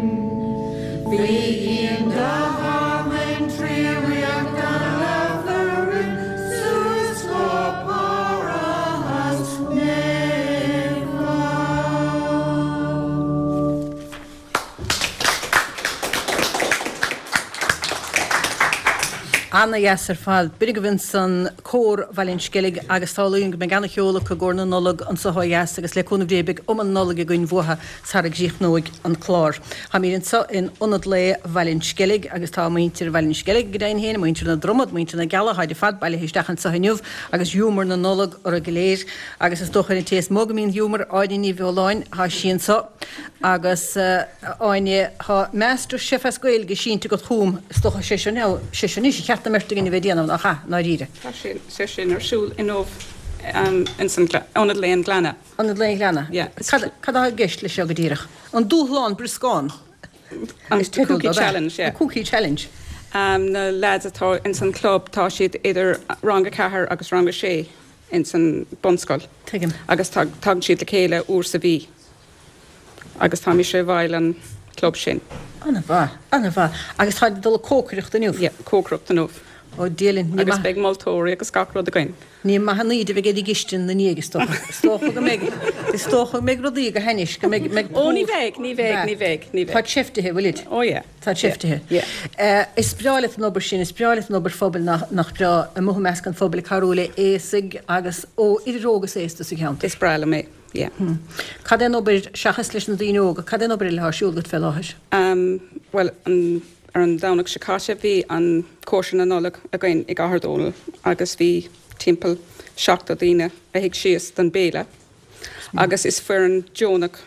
Faoi dhíon do thearmainn ríocht an Aifrinn suas go Parthas naofa. Ana-dheas ar fad. B'in agaibh ansan Cór Bhaile an Sceilg agus samhlaím go mbeidh ana-cheol acu i gcomhair na Nollag anso ó dheas agus le cúnamh Dé beidh uma na Nollag againn uathu sara gcríochnóidh an clár. Táimid anso in Ionad Lae Bhaile an Sceilg agus tá muintir Bhaile an Sceilg go deimhin féin, muintir na Dromad, muintir na gCeallach, táid ar fad bailithe isteach anso inniu agus giúmar na Nollag orthu go léir agus is dócha ar an té is mó go mbíonn giúmar, Áine Ní Bheoláin, tá sí anso. Agus, a Áine, tá Master Chef as Gaeilge sínte agat chugam, is dócha, sé seo, sé seo anois a cheart don mbeirt againn a bheith ag déanamh, nach ea, i ndáiríre? Tá sé sin ar siúl inniu ins an Ionad Lae an Ghleanna. Ionad Lae an Ghleanna? Yeah. Cad atá i gceist leis seo go díreach? An Dúshlán Brioscán? An Cookie Challenge, yeah. An Cookie Challenge. Na lads atá ins an club, tá siad idir rang a ceathair agus rang a sé ins an bunscoil. Tuigim. Agus tagann siad le chéile uair sa mhí. Agus tá mise i bhfeighil an club sin. Ana-mhaith, ana-mhaith. Agus táid ag dul ag cócaireacht inniu? Yeah, cócaireacht inniu. Ó Dia linn, ní maith. Agus beidh moltóirí agus gach rud againn. Ní maith an íde a bheidh ar an gcistin 'na ndiaidh, is dócha. Is dócha go mbeidh, is dócha go mbeidh rudaí go hainnis, go mbeidh, mbeidh. Ó ní bheidh, ní bheidh, ní bheidh, ní bheidh. Táid seiftithe, bhfuilid? Ó yeah. Táid seiftithe. Yeah. Is breá leat an obair sin, is breá leat an obair phobail, nach, nach breá, amuigh i measc an phobail ag cabhrú le aosaigh agus ó, idir óg is aosta sa cheantar. Is breá liom é. Yeah. Cad é an obair, seachas leis na daoine óga, cad é an obair eile atá ar siúl agat fé láthair? Bhuel, an, ar an Domhnach seo caite bhí an cóisir na Nollag againn i gCathair Dónall agus bhí timpeall 70 daoine a shuigh síos don béile agus is foireann deonach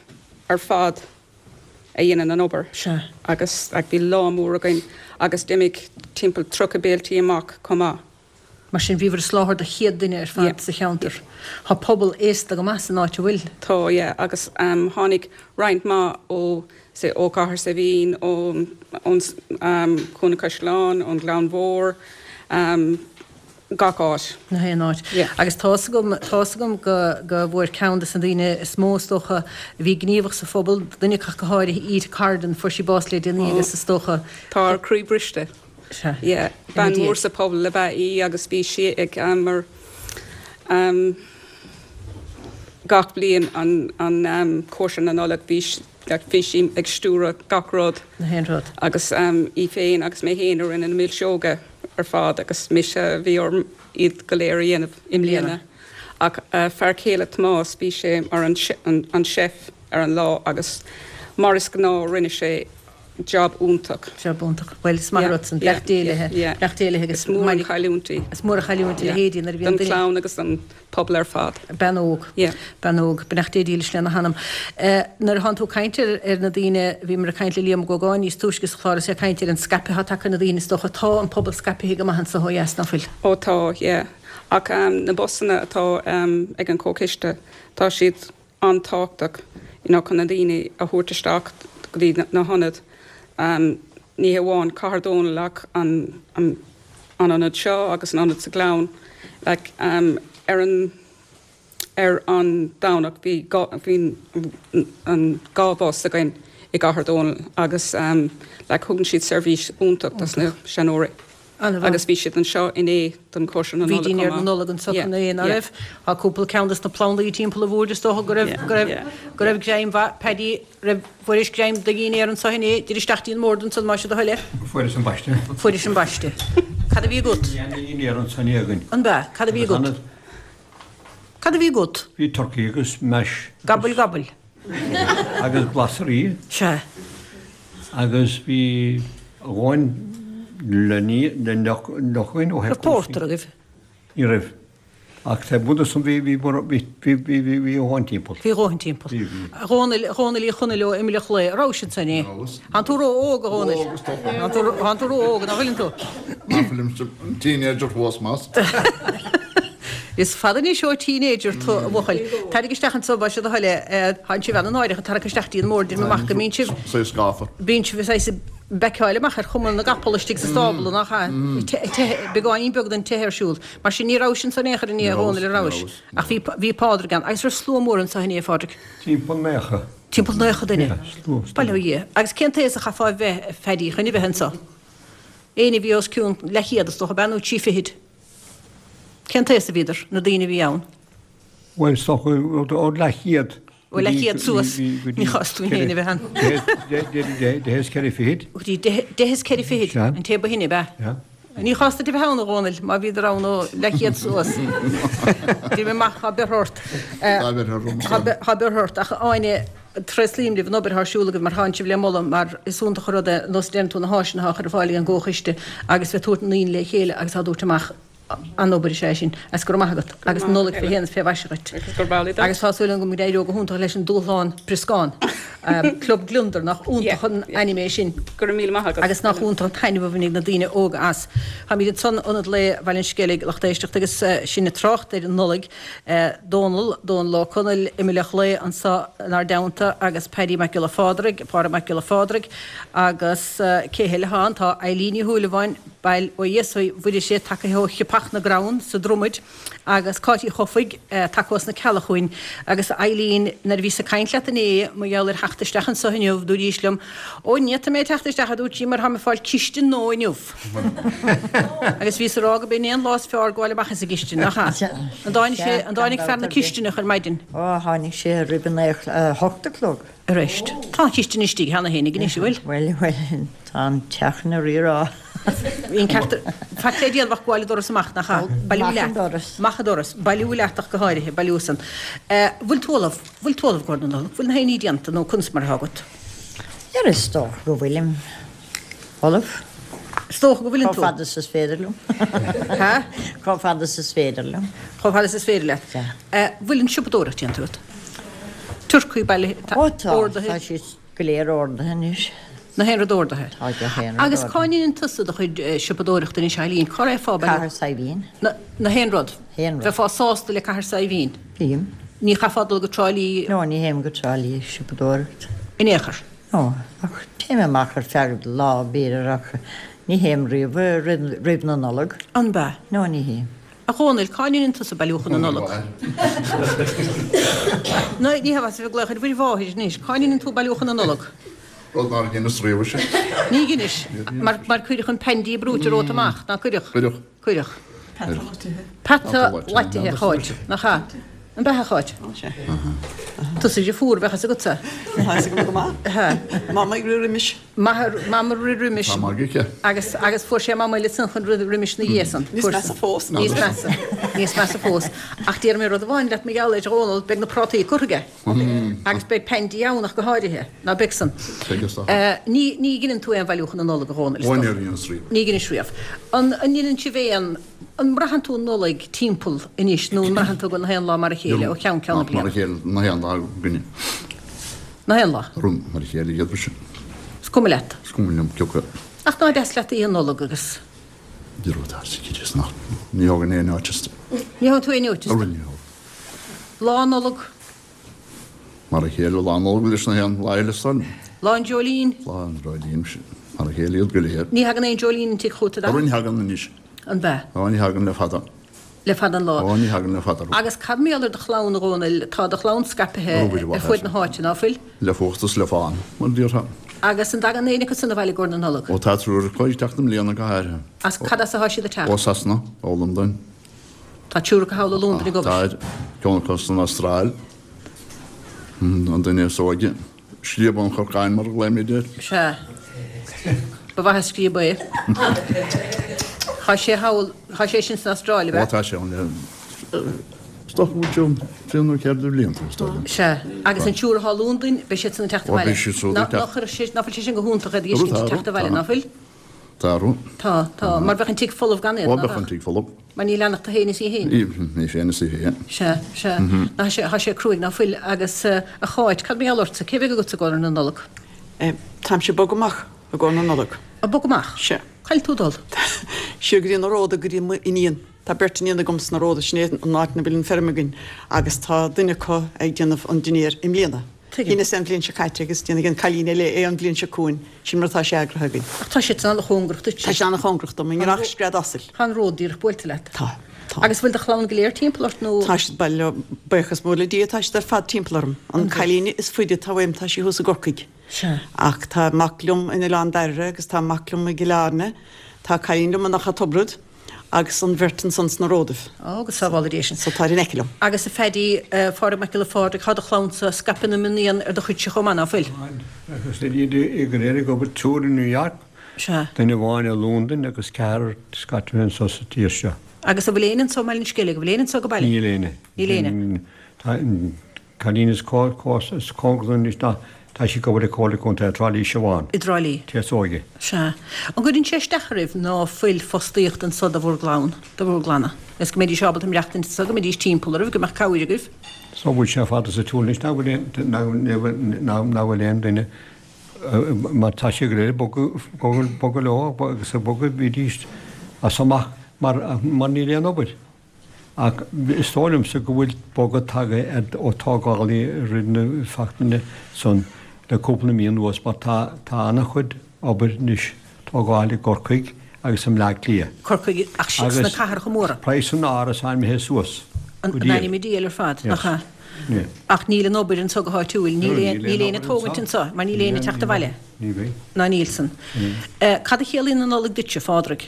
ar fad a dhéanann an obair. Sea. Agus bhí lá mór againn agus d'imigh timpeall 30 béiltí amach chomh maith. Mar sin, bhíobhair ag soláthar do chéad duine ar fad sa cheantar. Tá pobal aosta go maith san áit, an bhfuil? Tá, yeah, agus tháinig roinnt mhaith ó, say, ó Chathair Saidhbhín, ón, ón Chúinne Caisleáin, ón Ghleann Mhór, gach áit. Na haon áit. Yeah. Agus tá fhios agam, tá fhios agam go, go bhfuair ceann de na daoine is mó, is dócha, a bhí gníomhach sa phobal, duine acu go háirithe, Ita Corrigan, fuair sí bás le déanaí agus is dócha, Tá ár gcroí briste. Sea. Yeah. Bean mhór sa phobal ab ea í agus bhí sí ag mar. Gach bliain an an cóisir na Nollag bhí like bhí sí ag stiúradh gach rud. Na haon rud. Agus í féin agus mé féin a rinne na milseoga ar fad agus mise a bhí orm iad go léir a dhéanamh i mbliana. Ach fear céile Tomás bhí sé mar an an chef ar an lá agus mar is gnáth rinne sé job iontach. Job iontach. Bhuel is maith an rud san. Beannacht Dé léi. Beannacht Dé léi agus Is mór an chailliúint í. Is mór an chailliúint a leithéidí nuair a bhíonn duine. Don chlann agus don pobal ar fad. Bean óg. Bean óg. Beannacht Dé dílis lena hanam. Nuair a thánn tú ag caint ar na daoine, bhíomar ag caint le Liam Ó Gógáin níos túisce sa chlár is é ag caint ar an scaipeadh atá tagtha ar na daoine is dócha. Tá an pobal scaipthe go maith anso ó dheas, ná fuil? Ó tá, yeah. Ach na busanna atá ag an Chomhchoiste, tá siad an-tábhachtach you know chun na daoine a thabhairt isteach go dtí na hionaid. Ní hamháin Cathair Dónall ach an an ionad seo agus an ionad sa Ghleann. Like ar an ar an Domhnach bhí bhí an 2 bhus againn i gCathair Dónall agus like thugann siad seirbhís iontach dos na seanóirí. Agus bhí siad anseo inné don chóisir na Bhí Nollag chomh dinnéar na maith. Nollag anso inné, ná raibh? Tá cúpla ceann dos na plandaí timpeall an bhoird is dócha go raibh, go raibh, go raibh greim mhaith, Paddy, raibh, fuairis greim do dhinnéar anso inné, tar isteach dtí an mbord ansan más é do thoil é. Fuaireas an baiste. Fuairis an baiste. Cad a bhí agat? Bhí ana-dhinnéar anso inné againn. An b'ea? Cad a bhí agat? Cad a bhí agat? Bhí turcaí agus mash. Gobble gobble. Agus glasraí. Sea. Agus bhí a dhóthain le ní le deoch againn ó thaobh Raibh pórtar agaibh? Ní raibh. Ach taobh amuigh de san bhí bhí bhí bhí bhí bhí bhí a dhóthain timpeall. Bhí a dhóthain timpeall. Bhí bhí. A Dhónaill, a Dhónaill Uí Chonaill ó Imill an Chlaí, an rabhais ansan inné? Rabhas. Thánn tú ró-óg, a Dhónaill. Ró-óg is dócha. Thánn tú thánn tú ró-óg, nach bhfuileann tú? Ná fuilimse teenager fós, más. Is fada anois ó teenager tú, a bhuachaill. Tairig isteach anso, más é do thoil é. Tánn sibh ana-náireach ag tarrac isteach dtí an mbord, deirim amach go mbíonn sibh. Saghas gafa. Bíonn sibh saghas ag beiceáil amach ar chuma na gcapall istigh sa stábla, nach ea? Beagáinín beag den teitheadh ar siúl. Mar sin, ní rabhais anso in aon chor inné, a Dhónaill, an rabhais? Ach bhí, bhí Pádraig ann. Agus raibh slua mór anso inné, a Phádraig? Timpeall naocha. Timpeall naocha duine? Yeah, slua, slua. Bail ó Dhia. Agus cén t-aos a chaithfeá a bheith, a Phaddy, chun a bheith anso? Éinne a bhí os cionn leathchéad, is dócha, ab ea, nó trí fichid? Cén t-aos a bhíodar, na daoine a bhí ann? Bhuel, is dócha ó leathchéad. Ó leathchéad suas, ní chás dúinn féin a bheith ann. Deich is ceithre fichid. Go dtí deich is ceithre fichid, an té ba shine, ab ea? Sea. Ní chás duit a bheith ann, a Dhónaill, má bhíodar ann ó leathchéad suas. Deirim amach, tá beirthe ort. Tá beirthe orm. Tá beirthe ort, ach Áine, tréaslaím libh an obair atá ar siúl agaibh mar tánn sibh le moladh mar is iontach an rud é nós a deireann tú na háiseanna atá á chur ar fáil ag an gComhchoiste agus bheith tabhairt na ndaoine le chéile agus á dtabhairt amach an-obair is ea é sin agus go raibh maith agat agus Nollaig fé shéan is fé mhaise dhuit. Agus tá súil agam go n-éireoidh go hiontach leis an dúshlán brioscán. Club Gliondar, nach iontach an ainm é sin. Go raibh míle maith agat. Agus nach iontach an taitneamh a bhainfidh na daoine óga as. Táimid ansan Ionad Lae Bhaile an Sceilg, lucht éisteachta agus sinn ag trácht ar an Nollaig. Dónall, Dónall Ó Conaill, Imill an Chlaí anso inár dteannta agus Paddy Mac Giolla Phádraig, Pádraig Mac Giolla Phádraig agus cé heile atá ann? Tá Eileen Ní Shúilleabháin, bail ó Dhia uirthi Mhuire tagaithe ó Chiapach na gCrann sa Dromaid agus Cáit Uí Chofaigh tagtha ós na Cealla chugainn agus Eileen nuair a bhíos ag caint leat inné mar gheall ar theacht isteach anso inniu dúraís liom Ó ní fhéadfaidh mé teacht isteach a dúirt sí mar táim ag fáil cistin nua inniu. Agus bhíos ag rá go b'in é an lá is fearr gabháil amach as an gcistin, nach ea? An dtáinig sé, an dtáinig fear na cistineach ar maidin? Ó, tháinig sé roimh an a hocht a chlog. Arís. Tá an chistin istigh cheana féin anois, an bhfuil? Bhuel, bhuel, tá an teach ina rírá. Bhí an ceart, faic le déanamh ach gabháil an doras amach, nach ea? Bailiú leat. Amach an doras. Amach an doras. Bailiú leat ach go háirithe, bailiú san. Bhfuil tú ullamh? Bhfuil tú ullamh i gcomhair na Nollag? Bhfuil na haon ní déanta nó conas mar atá agat? Ar is dócha go bhfuilim ullamh. Is dócha go bhfuileann tú. Chomh fada is is féidir liom. Ha? Chomh fada is is féidir liom. Chomh fada is is féidir leat. Sea. Bhfuil an siopadóireacht déanta agat? Turcaí bailithe, Ó tá, ordaithe? tá siad go léir ordaithe anois. Na haon rud ordaithe? Tá gach aon rud Agus ordaithe. cá ndéanann tusa do chuid siopadóireachta anois, Eileen? Cá raghfá baile? Cathair Saidhbhín. Na, na haon rud? Haon rud. Bheifeá sásta le Cathair Saidhbhín? Bím. Ní chaithfeá dul go Trá Lí? No, ní théim go Trá Lí ag siopadóireacht. In aon chor? No, ach téim amach ar feadh lá, b'fhéidir, ach ní théim riamh roimh na Nollag. An b'ea? No, ní théim. A Dhónaill, cá ndéanann tusa bailiúchán na Nollag? No, ní hea, bheas ag glaoch ar Mhuire Mháthair anois. Cá ndéanann tú bailiúchán na Nollag? Rud nár dheineas riamh is ea. Ní dheinis, mar mar cuireadh an paindí brúite romhat amach, ná cuireadh? Cuireadh. Cuireadh. Peata loitithe. Peata loitithe, a Cháit, nach ea? An b'ea, a Cháit? Ó, sea. Tusa deirfiúr, bheadh fhios agatsa. Tá fhios agam go maith. Mama ag rith roimis. Mama ag rith roimis. Tá magadh aici. Agus, agus fuair sé mama eile san chun rith roimis na dhiaidh san. Níos measa fós. Níos measa. Níos measa fós. Ach déarfaidh mé rud amháin leat mar gheall air, a Dhónaill, beidh na prátaí curtha aige. Agus beidh Paindí ann ach go háirithe. Ná beidh san? Beidh is dócha. Ní, ní dheineann tú aon bhailiúchán na Nollag, a Dhónaill, is Ó, dócha. níor dheineas riamh. Ní dheinis riamh. An, an ndeineann sibh aon, an mbraitheann tú an Nollaig timpeall anois nó an mbraitheann tú go na haon lá mar a chéile ó cheann ceann na Nach mar a bliana? chéile na haon lá againne. Na haon lá? Rún mar a chéile iad sin. Is cuma leat. Is cuma liom cé acu. Ach ná deas leat Oíche Nollag agus. Ní raibh tá sa chirt is nach. Ní thógann aon notice. Ní thógann tú aon notice. Ní thógann. Lá Nollag. Mar a chéile Lá Nollag leis na haon lá eile san. Lá an Dreoilín. Lá an Dreoilín, sin mar a chéile iad go léir. Ní thagann aon dreoilín an tigh chugat, an dtagann? Ní thagann anois. An b'ea? Ó, ní thagann le fada. Le fada an lá. Ó, ní thagann le fada. Agus cad mar gheall ar do chlann, a Dhónaill? Tá do chlann scaipthe ar fuaid na háite, ná fuil? Le fuacht is le fán, mar a déarfá. Agus an dtagann éinne acu san abhaile i gcomhair na Nollag? Ó, tá triúr acu ag teacht i mbliana go háirithe. As cad as atá siad ag teacht? Ó Sasana, ó Londain. Tá triúr acu thall i Londain ag obair. Tá, ceann acu san Astráil, an duine is óige. Scríob an chorcáin mar a ghlaoimid air. Sea. Ba mhaith an scríob é. Tá sé thall, tá sé sin san Astráil, ab ea? Ó, tá sé ann le, is dócha go bhfuil sé trí nó ceithre de bhlianta, is dóigh liom. Sea. Agus an triúr atá i Londain, beidh siad san ag teacht Ó, abhaile. beidh siad siúd ag teacht. Ná fuil sé sin go hiontach iad a fheiscint ag teacht abhaile, ná fuil? Tá orthu. Tá, tá. Mar bheadh an tigh folamh gan iad, Ó, ná bheadh an beadh? tigh folamh. Mar ní leanfadh tú féin is í féin. Í féin is í féin. Sea, sea. Ná tá sé, tá sé cruaidh, ná fuil? Agus, a Cháit, cad mar gheall ortsa? Cé bheidh agatsa i gcomhair na Nollag? Táimse ag bogadh amach i gcomhair na Nollag. Ag bogadh amach? Sea. Cá bhfuil tú ag dul? Siar go dtí na Róda, go dtí m'iníon. Tá beirt iníon agam sna Róda, sin é an áit ina bhfuil an feirm againn, agus tá duine acu ag déanamh an dinnéar i mbliana. Tuigim. Dheineas é an bhliain seo caite agus déanfaidh an cailín eile é an bhliain seo chugainn. Sin mar atá sé eagraithe againn. Ach tá siad san an-chóngarach duit. Tá sé an-chóngarach dom, i ngnách scread asail. Tá an ród díreach buailte leat. Tá. Tá. Agus bhfuil do chlann go léir timpeall ort nó? Tá siad, bhuel, buíochas mór le Dia, tá siad ar fad timpeall orm. An cailín is faide atá uaim, tá sí thuas i gCorcaigh. Sea. Ach tá mac liom in Oileán Dairbhre agus tá mac liom i gCill Airne. Tá cailín liom in Achadh Tobrad. Agus an bheirt ansan sna Ródaibh. Ó, go sábhála Dia sinn. So táid in aice liom. Agus a Phaddy, a Phádraig Mac Giolla Phádraig, tá do chlannsa scaipthe ina mionéan ar do chuidse chomh maith, ná fuil? Agus tá iad go léir ag obair, triúr i New York, Sea. duine amháin i Londain agus ceathrar scaipthe anso sa tír seo. Agus an bhfuil éinne anso i mBaile an Sceilg, an bhfuil éinne anso ag baile? Níl éinne. Níl éinne. Tá an cailín is cóngaraí dom anois ná tá sí ag obair i Comhairle Contae Trá Lí Siobhán. I dTrá Lí. Té is óige. Sea. An gcuireann sé isteach oraibh ná fuil fostaíocht anso do bhur gclann, do bhur gclanna? Is go mbeidís ábalta maireachtaint anso, go mbeidís timpeall oraibh, go mbeadh cabhair agaibh? So bhfuil sé fada sa tsiúl anois nach bhfuil aon, nach bhfuil aon duine, mar tá sé go léir ag bogadh, bogadh leo agus ag bogadh bhídís as amach mar, mar níl aon obair. Ach is dóigh liomsa go bhfuil bogadh tagtha ar ó tógálaí i rith na seachtaine san le cúpla mí anuas mar tá tá an-chuid obair anois tógáil i gCorcaigh agus i mBleá Cliath. Corcaigh ach sna cathracha móra. Agus praghas an árasáin imithe suas go diail. In ainm an diabhail ar fad, nach ea? Yeah. Ach níl an obair anso go háitiúil, níl aon níl éinne ag tógaint anso mar níl éinne ag teacht abhaile. Ní bheidh. Ná níl san. Cad a chiallaíonn an Nollaig duitse, a Phádraig?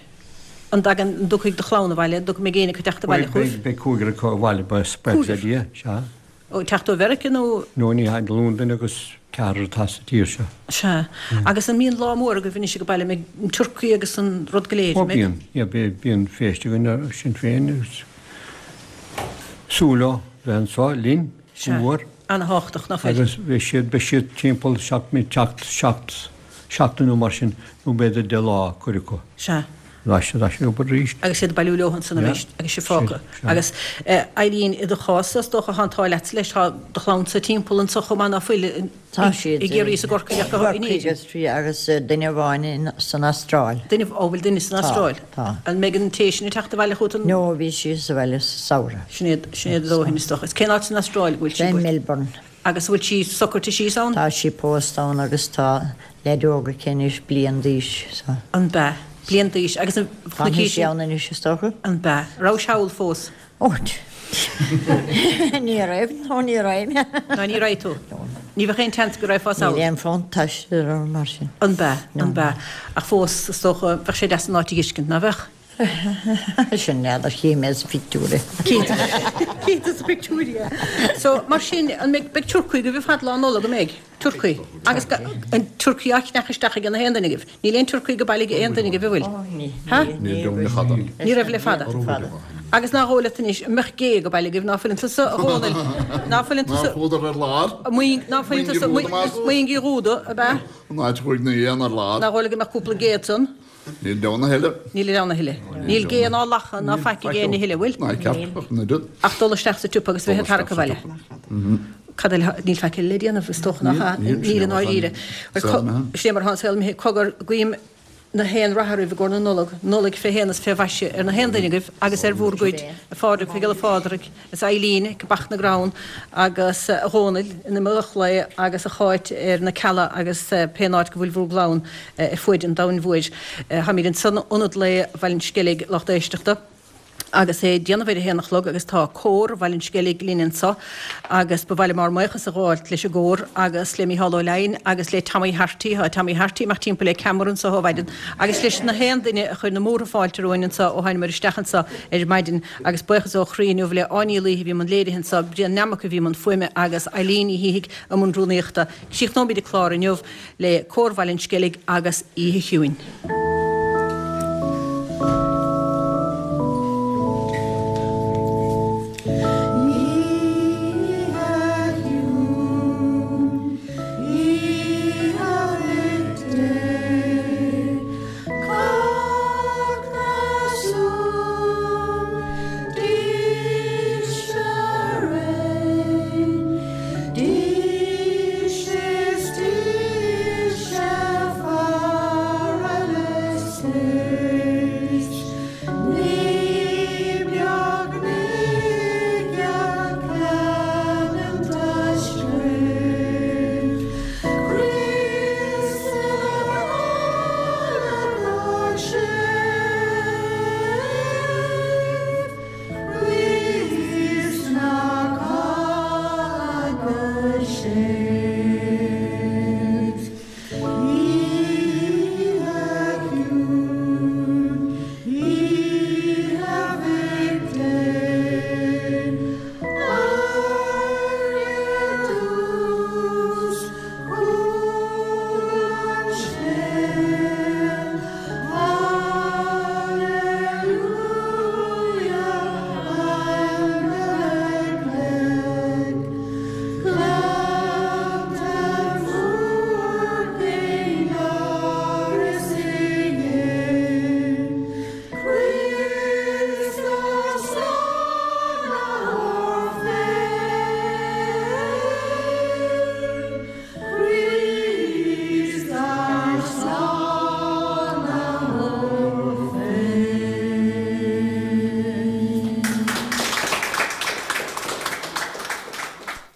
An dtagann, an dtiocfaidh do chlann abhaile, an mbeidh éinne acu ag teacht abhaile chugaibh? Beidh cúigear acu abhaile, buíochas le Dia, sea. Ó, teacht ó Mheiriceá nó? No, ní hea, Londain agus ceathrar atá sa tír seo. Sea. Agus an mbíonn lá mór agaibh anois ag baile, an mbeidh an turcaí agus an rud go léir, Ó, an mbeidh? bíonn, yeah, bíonn féist againn ar sin féin agus súil leo bheith anseo linn go mór. Sea. Ana-thábhachtach, ná fuil? Agus beidh siad, beidh siad timpeall seacht, seacht, seacht, seachtain nó mar sin, nó b'fhéidir 10 lá, cuid acu. Sea. Ar ais ar ais ag obair arís. Agus iad ag bailiú leo ansan arís agus sibh fágtha. Agus Eileen, i do chás-sa, is dócha, tá an t-ádh leatsa leis, tá do chlannsa timpeall anso chomh maith ná fuil, Tá siad. i gCiarraí is i gCorcaigh ach go in Éirinn. Corcaigh agus duine amháin san Astráil. Duine, ó bhfuil duine san Astráil? Tá, tá. An mbeidh an té sin ag teacht abhaile chugat an? No, bhí sí sa bhaile sa samhradh. Sin é, sin é a dóthain is dócha. Is cén áit san Astráil go bhfuil sí? I Melbourne. Agus an bhfuil sí socraithe síos ann? Tá sí pósta ann agus tá leaid óg aici anois, bliain d'aois, so. An b'ea? Bliain d'aois. Agus an Fanfaidh sí ann anois is dócha. An b'ea? Rabhais thall fós? Ó, ní raibh, nó ní raibh mé. Ná ní raibh tú? Ní bheadh aon tseans go raghfá sall? Níl aon fonn taistil orm mar sin. An b'ea? An b'ea? Ach fós, is dócha, bheadh sé deas an áit a dh'fheiscint, ná bheadh? Sin n'fheadar, tchí mé sa phictiúr é. Tchí tú sa phictiúr é. So, mar sin, an mbeidh, beidh turcaí agaibh ar fad Lá Nollag, an mbeidh? Turcaí. Agus an turcaí á cheannach isteach ag na haon duine agaibh? Níl aon turcaí go baile ag aon duine agaibh, an bhfuil? Ha? Níl raibh le fada. Ní raibh le fada. Agus nach dhóigh leat anois, an mbeadh gé go baile agaibh, ná fuileann tusa, a Dhónaill, ná fuileann tusa. Nár chuadar ar lár? Ná fuileann tusa, Muing Uí Dhúda, ab ea? An áit a chuaigh na héin ar lár. Nach dhóigh leat go mbeadh cúpla gé ansan? Níl ann a thuilleadh. Níl ann a thuilleadh. Níl gé ná lacha ná faic ag éinne a thuilleadh, bhfuil? Ná ceart, ach an oiread. Ach dul isteach sa tsiopa agus bheith ag tarrac abhaile. Cad eile? Níl faic eile le déanamh, is dócha nach ea? Níl i ndáiríre. Sin é mar atá an saol imithe. Cogar, guím na haon rath oraibh i gcomhair na Nollag, Nollaig fé shéan is fé mhaise ar na haon duine agaibh agus ar bhúr gcuid, a Phádraig, a Ghiolla Phádraig. Is Eileen ag Bac na gCrann agus a Dhónaill in Mullach Lao agus a Cháit ar na Cealla agus pén áit go bhfuil bhur gclann ar fuaid an domhain mhóir. Táimid ansan in Ionad Lae Bhaile an Sceilg lucht éisteachta agus é ag déanamh ar a haon a chlog agus tá Cór Bhaile an Sceilg linn anso agus ba mhaith liom ár mbuíochas a ghabháilt leis an gcór agus le Mícheál Ó Leidhin agus le Tommy Harty, tá Tommy Harty ag imeacht timpeall le ceamara anso ó mhaidin agus leis na haon duine a chuir na múrtha fáilte romhainn anso ó thánamar isteach anso ar maidin. Agus buíochas ó chroí inniu le Áine Ní Laoithe a bhí i mbun léirithe anso, Brian Nammock a bhí i mbun fuaime agus Eileen Ní Shíthigh i mbun rúnaíochta. Críochnóimid an clár inniu le Cór Bhaile an Sceilg agus Oíche Chiúin.